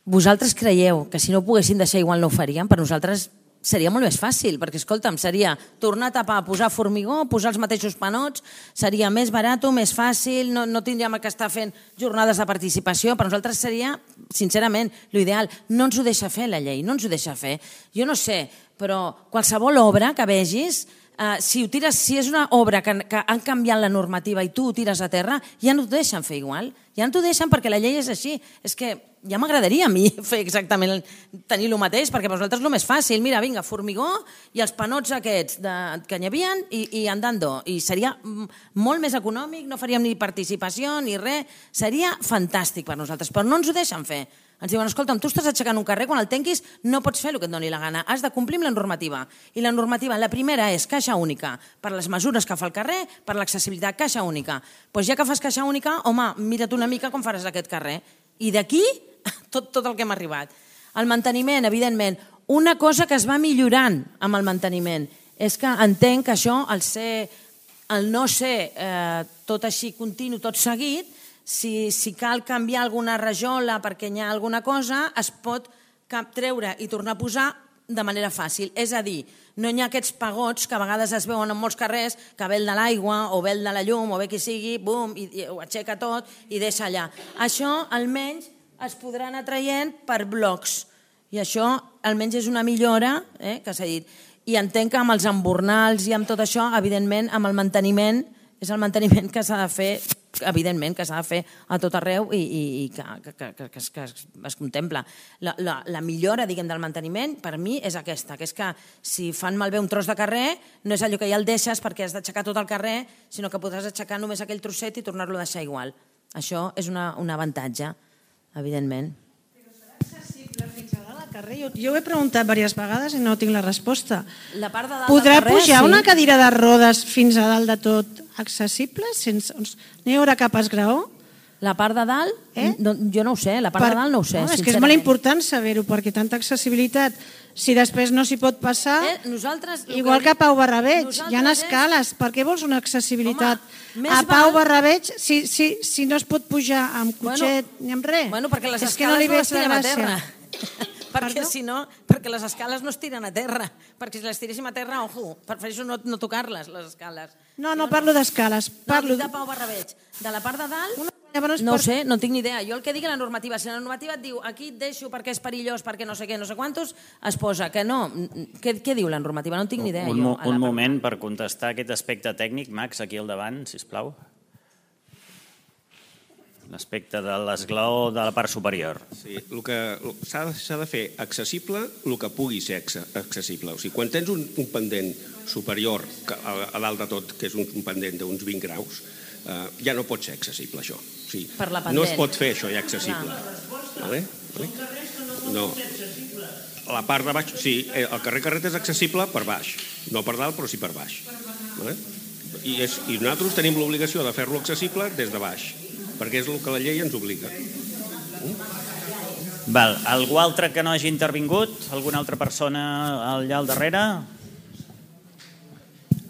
Vosaltres creieu que si no ho poguessin deixar igual no ho faríem? Per nosaltres seria molt més fàcil, perquè, escolta'm, seria tornar a tapar, posar formigó, posar els mateixos panots, seria més barat, més fàcil, no, no tindríem que estar fent jornades de participació. Per nosaltres seria, sincerament, l'ideal. No ens ho deixa fer la llei, no ens ho deixa fer. Jo no sé, però qualsevol obra que vegis, eh, si, ho tires, si és una obra que, que han canviat la normativa i tu ho tires a terra, ja no t'ho deixen fer igual. Ja no t'ho deixen perquè la llei és així. És que ja m'agradaria a mi fer exactament, tenir el mateix, perquè per nosaltres és el més fàcil. Mira, vinga, formigó i els panots aquests de, que n'hi havia i, i andando. I seria molt més econòmic, no faríem ni participació ni res. Seria fantàstic per nosaltres, però no ens ho deixen fer. Ens diuen, escolta'm, tu estàs aixecant un carrer, quan el tanquis no pots fer el que et doni la gana, has de complir amb la normativa. I la normativa, la primera és caixa única, per les mesures que fa el carrer, per l'accessibilitat, caixa única. Doncs ja que fas caixa única, home, mira't una mica com faràs aquest carrer. I d'aquí, tot, tot el que hem arribat. El manteniment, evidentment. Una cosa que es va millorant amb el manteniment és que entenc que això, al, ser, al no ser eh, tot així continu, tot seguit, si, si cal canviar alguna rajola perquè hi ha alguna cosa, es pot treure i tornar a posar de manera fàcil. És a dir, no hi ha aquests pagots que a vegades es veuen en molts carrers, que ve el de l'aigua o ve el de la llum o ve qui sigui, bum, i, i ho aixeca tot i deixa allà. Això almenys es podrà anar traient per blocs. I això almenys és una millora, eh, que s'ha dit. I entenc que amb els embornals i amb tot això, evidentment, amb el manteniment, és el manteniment que s'ha de fer, evidentment, que s'ha de fer a tot arreu i, i, i que, que, que, que, que, es, que es contempla. La, la, la millora, diguem, del manteniment, per mi, és aquesta, que és que si fan malbé un tros de carrer, no és allò que ja el deixes perquè has d'aixecar tot el carrer, sinó que podràs aixecar només aquell trosset i tornar-lo a deixar igual. Això és una, un avantatge, evidentment. Però serà accessible fins a dalt al carrer? Jo, jo ho he preguntat diverses vegades i no tinc la resposta. La part de dalt Podrà del carrer, pujar sí. una cadira de rodes fins a dalt de tot accessible? Sense, no hi haurà cap esgraó? La part de dalt? Eh? No, jo no ho sé, la part per... de dalt no ho sé. No, és que és molt important saber-ho, perquè tanta accessibilitat, si després no s'hi pot passar, eh, nosaltres, igual que a Pau Barrabeig, hi ha és... escales, per què vols una accessibilitat? Home, a Pau val... Barrabeig, si, si, si no es pot pujar amb cotxet bueno, ni amb res, bueno, perquè les és que no li no veig les la tirem a gràcia. terra. perquè, si no, perquè les escales no es tiren a terra. Perquè si les tiréssim a terra, ojo, prefereixo no, no tocar-les, les escales. No, no parlo d'escales. Parlo no, de Pau Barrabeig. De la part de dalt, no, no ho sé, no tinc ni idea. Jo el que digui la normativa, si la normativa et diu aquí et deixo perquè és perillós, perquè no sé què, no sé quantos, es posa que no. Què, què diu la normativa? No en tinc ni idea. Un, jo, un moment per contestar aquest aspecte tècnic, Max, aquí al davant, sisplau. L'aspecte de l'esglaó de la part superior. Sí, el que s'ha de fer accessible el que pugui ser accessible. O sigui, quan tens un, un pendent superior a, a dalt de tot, que és un, un pendent d'uns vint graus, eh, ja no pot ser accessible, això. O sigui, per la pendent. No es pot fer això ja accessible. Vale? Vale? No. La part de baix, sí, el carrer Carret és accessible per baix, no per dalt, però sí per baix. Vale? I, és, I nosaltres tenim l'obligació de fer-lo accessible des de baix, perquè és el que la llei ens obliga. Val. Algú altre que no hagi intervingut? Alguna altra persona allà al darrere?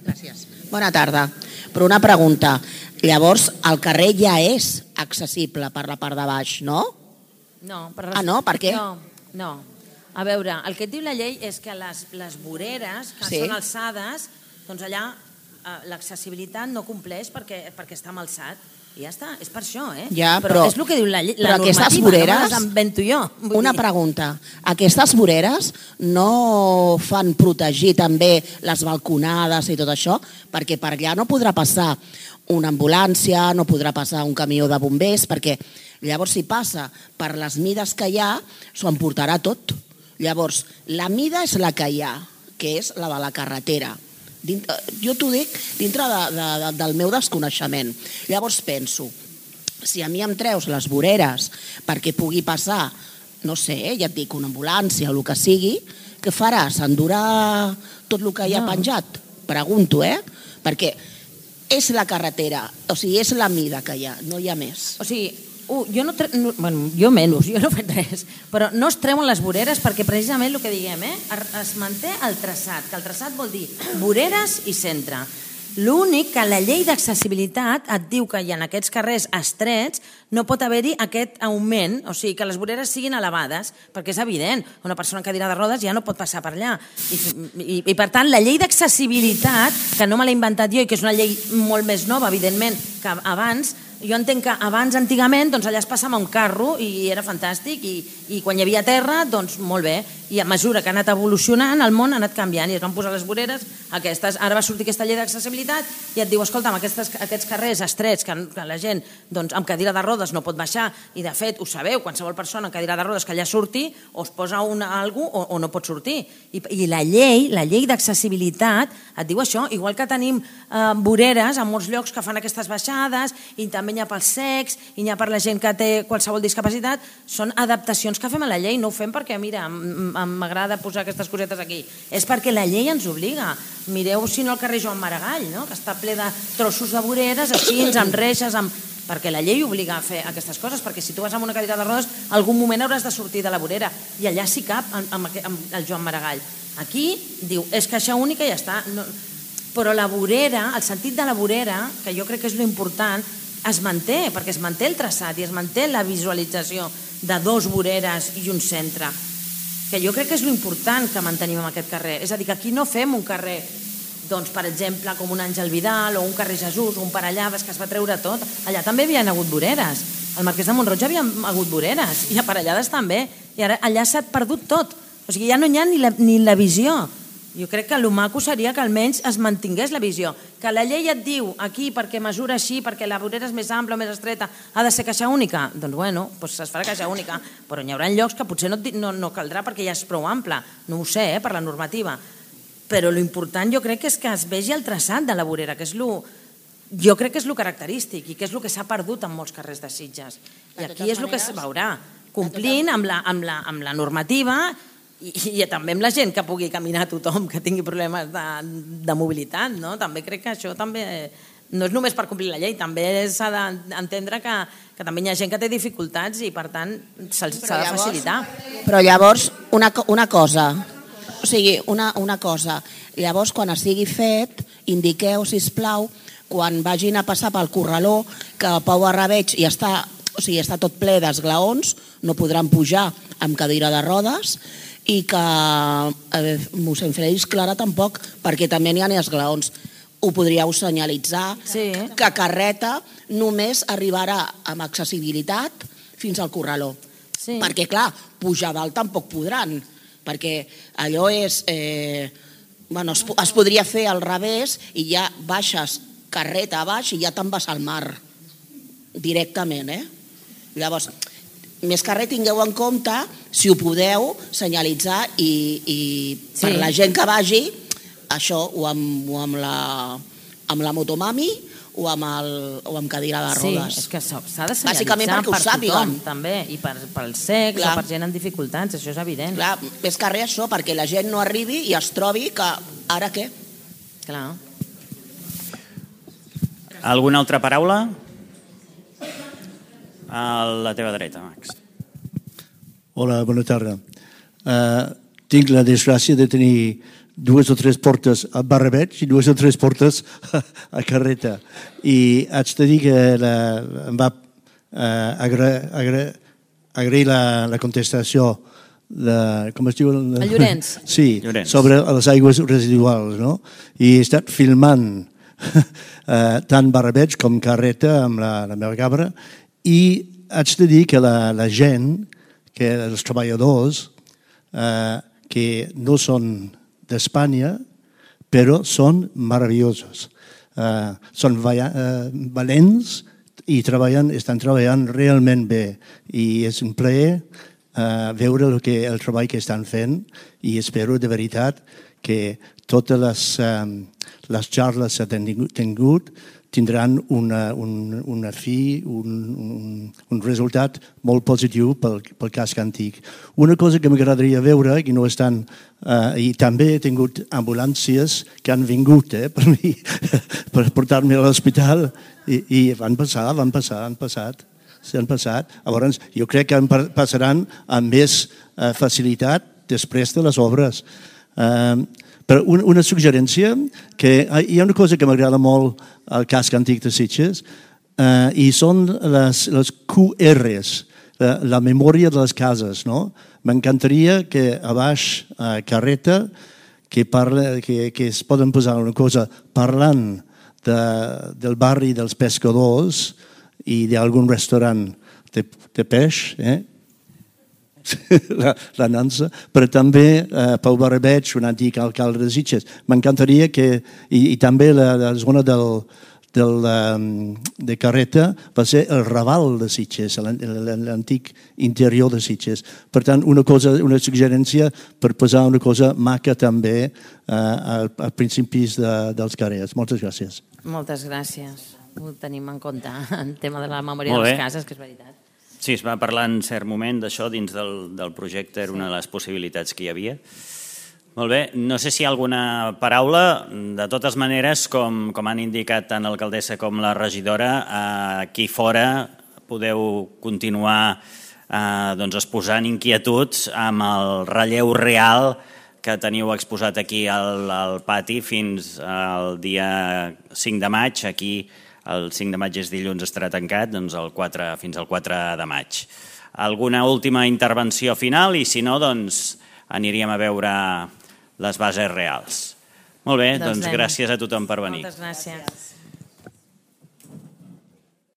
Gràcies. Bona tarda. Però una pregunta. Llavors, el carrer ja és accessible per la part de baix, no? No. Per... Ah, no? Per què? No, no. A veure, el que et diu la llei és que les, les voreres que sí. són alçades, doncs allà eh, l'accessibilitat no compleix perquè, perquè està amb alçat. I ja està, és per això, eh? Ja, però, però és el que diu la, la però normativa, aquestes voreres, no me les invento jo. Una dir. pregunta, aquestes voreres no fan protegir també les balconades i tot això? Perquè per allà no podrà passar una ambulància, no podrà passar un camió de bombers, perquè llavors si passa per les mides que hi ha, s'ho emportarà tot. Llavors, la mida és la que hi ha, que és la de la carretera. Dintre, jo t'ho dic dintre de, de, de, del meu desconeixement. Llavors penso, si a mi em treus les voreres perquè pugui passar, no sé, ja et dic, una ambulància o el que sigui, què faràs? Endurà tot el que hi ha no. penjat? Pregunto, eh? Perquè és la carretera, o sigui, és la mida que hi ha, no hi ha més. O sigui, uh, jo no, tre... no bueno, jo menys, jo no he fet res, però no es treuen les voreres perquè precisament el que diguem, eh, es manté el traçat, que el traçat vol dir voreres i centre. L'únic que la llei d'accessibilitat et diu que en aquests carrers estrets no pot haver-hi aquest augment, o sigui, que les voreres siguin elevades, perquè és evident, una persona en cadira de rodes ja no pot passar per allà. I, i, i per tant, la llei d'accessibilitat, que no me l'he inventat jo i que és una llei molt més nova, evidentment, que abans, jo entenc que abans, antigament, doncs allà es passava un carro i era fantàstic i, i quan hi havia terra, doncs molt bé. I a mesura que ha anat evolucionant, el món ha anat canviant i es van posar les voreres aquestes. Ara va sortir aquesta llei d'accessibilitat i et diu, escolta'm, aquestes, aquests carrers estrets que, que la gent doncs, amb cadira de rodes no pot baixar i de fet, ho sabeu, qualsevol persona amb cadira de rodes que allà surti o es posa una, algú o, o no pot sortir. I, i la llei, la llei d'accessibilitat et diu això, igual que tenim eh, voreres en molts llocs que fan aquestes baixades i també n'hi ha pels secs i n'hi ha per la gent que té qualsevol discapacitat, són adaptacions que fem a la llei, no ho fem perquè, mira, m'agrada posar aquestes cosetes aquí, és perquè la llei ens obliga. Mireu, si no, el carrer Joan Maragall, no? Que està ple de trossos de voreres, així, amb reixes, amb... perquè la llei obliga a fer aquestes coses, perquè si tu vas amb una cadira de rodes, algun moment hauràs de sortir de la vorera, i allà sí cap amb el Joan Maragall. Aquí diu, és caixa única i ja està. Però la vorera, el sentit de la vorera, que jo crec que és l'important, es manté, perquè es manté el traçat i es manté la visualització de dos voreres i un centre, que jo crec que és l'important que mantenim en aquest carrer. És a dir, que aquí no fem un carrer, doncs, per exemple, com un Àngel Vidal o un carrer Jesús o un Parellades, que es va treure tot. Allà també hi havia hagut voreres. Al Marquès de Mont-roig hi havia hagut voreres i a Parellades també. I ara allà s'ha perdut tot. O sigui, ja no hi ha ni la, ni la visió. Jo crec que el maco seria que almenys es mantingués la visió. Que la llei et diu aquí perquè mesura així, perquè la vorera és més ampla o més estreta, ha de ser caixa única. Doncs bueno, doncs es farà caixa única, però hi haurà llocs que potser no, no, no caldrà perquè ja és prou ampla. No ho sé, eh, per la normativa. Però l'important jo crec que és que es vegi el traçat de la vorera, que és lo, jo crec que és el característic i que és el que s'ha perdut en molts carrers de Sitges. I aquí és el que es veurà, complint amb la, amb la, amb la normativa i, i també amb la gent que pugui caminar tothom, que tingui problemes de, de mobilitat, no? També crec que això també no és només per complir la llei, també s'ha d'entendre que, que també hi ha gent que té dificultats i per tant s'ha de facilitar. Però llavors, una, una cosa... O sigui, una, una cosa, llavors quan estigui fet, indiqueu, sisplau, quan vagin a passar pel corraló, que Pau Barrabeig ja està, o sigui, està tot ple d'esglaons, no podran pujar amb cadira de rodes, i que eh, mossèn Félix Clara tampoc, perquè també n'hi ha esglaons. Ho podríeu senyalitzar, sí. Que carreta només arribarà amb accessibilitat fins al corraló. Sí. Perquè, clar, pujar dalt tampoc podran, perquè allò és... Eh, bueno, es, es podria fer al revés i ja baixes carreta a baix i ja te'n vas al mar directament, eh? Llavors, més que res tingueu en compte, si ho podeu, senyalitzar i, i per sí. La gent que vagi, això, o amb, o amb, la, amb la motomami, o amb, el, o amb cadira de rodes. Sí, és que s'ha de senyalitzar per tothom, també, i per, pels cecs o per gent amb dificultats, això és evident. Clar, més que res això, perquè la gent no arribi i es trobi que ara què? Clar. Alguna altra paraula? A la teva dreta, Max. Hola, bona tarda. Uh, tinc la desgràcia de tenir dues o tres portes a Barrabeig i dues o tres portes a Carreta. I haig de dir que la, em va eh, agra, agra, agrair la, la contestació de, com es diu? El Llorenç. Sí, Llorenç. Sobre les aigües residuals, no? I he estat filmant eh, tant Barrabeig com Carreta amb la, la meva cabra i haig de dir que la, la gent, que els treballadors eh, que no són d'Espanya, però són meravellosos. Uh, són uh, valents i treballen, estan treballant realment bé. I és un plaer uh, veure el, que, el treball que estan fent i espero de veritat que totes les, um, les xarles que han tingut tindran una, un, una fi, un, un, un resultat molt positiu pel, pel casc antic. Una cosa que m'agradaria veure, que no estan, uh, i també he tingut ambulàncies que han vingut eh, per mi, per portar-me a l'hospital, i, i van passar, van passar, han passat, s'han passat. Llavors, jo crec que passaran amb més uh, facilitat després de les obres. Uh, Però una, una suggerència, que hi ha una cosa que m'agrada molt al casc antic de Sitges, eh, i són les, les Q Rs, la, la memòria de les cases. No? M'encantaria que a baix, a Carreta, que, parla, que, que es poden posar una cosa parlant de, del barri dels pescadors i d'algun restaurant de, de peix, eh? La, la Nansa, però també eh, Pau Barrabeig, un antic alcalde de Sitges. M'encantaria que, i, i també la, la zona del, del, um, de Carreta va ser el Raval de Sitges, l'antic interior de Sitges. Per tant, una cosa, una suggerència per posar una cosa maca també eh, als principis de, dels carrers. Moltes gràcies. Moltes gràcies. Ho tenim en compte, el tema de la memòria de les cases, que és veritat. Sí, es va parlar en cert moment d'això dins del, del projecte, era una de les possibilitats que hi havia. Molt bé, no sé si hi ha alguna paraula. De totes maneres, com, com han indicat tant l'alcaldessa com la regidora, aquí fora podeu continuar eh, doncs exposant inquietuds amb el relleu real que teniu exposat aquí al, al pati fins al dia cinc de maig. Aquí el cinc de maig és dilluns, estarà tancat, doncs el quatre, fins al quatre de maig. Alguna última intervenció final i si no, doncs aniríem a veure les bases reals. Molt bé, doncs, doncs gràcies a tothom per venir. Moltes gràcies.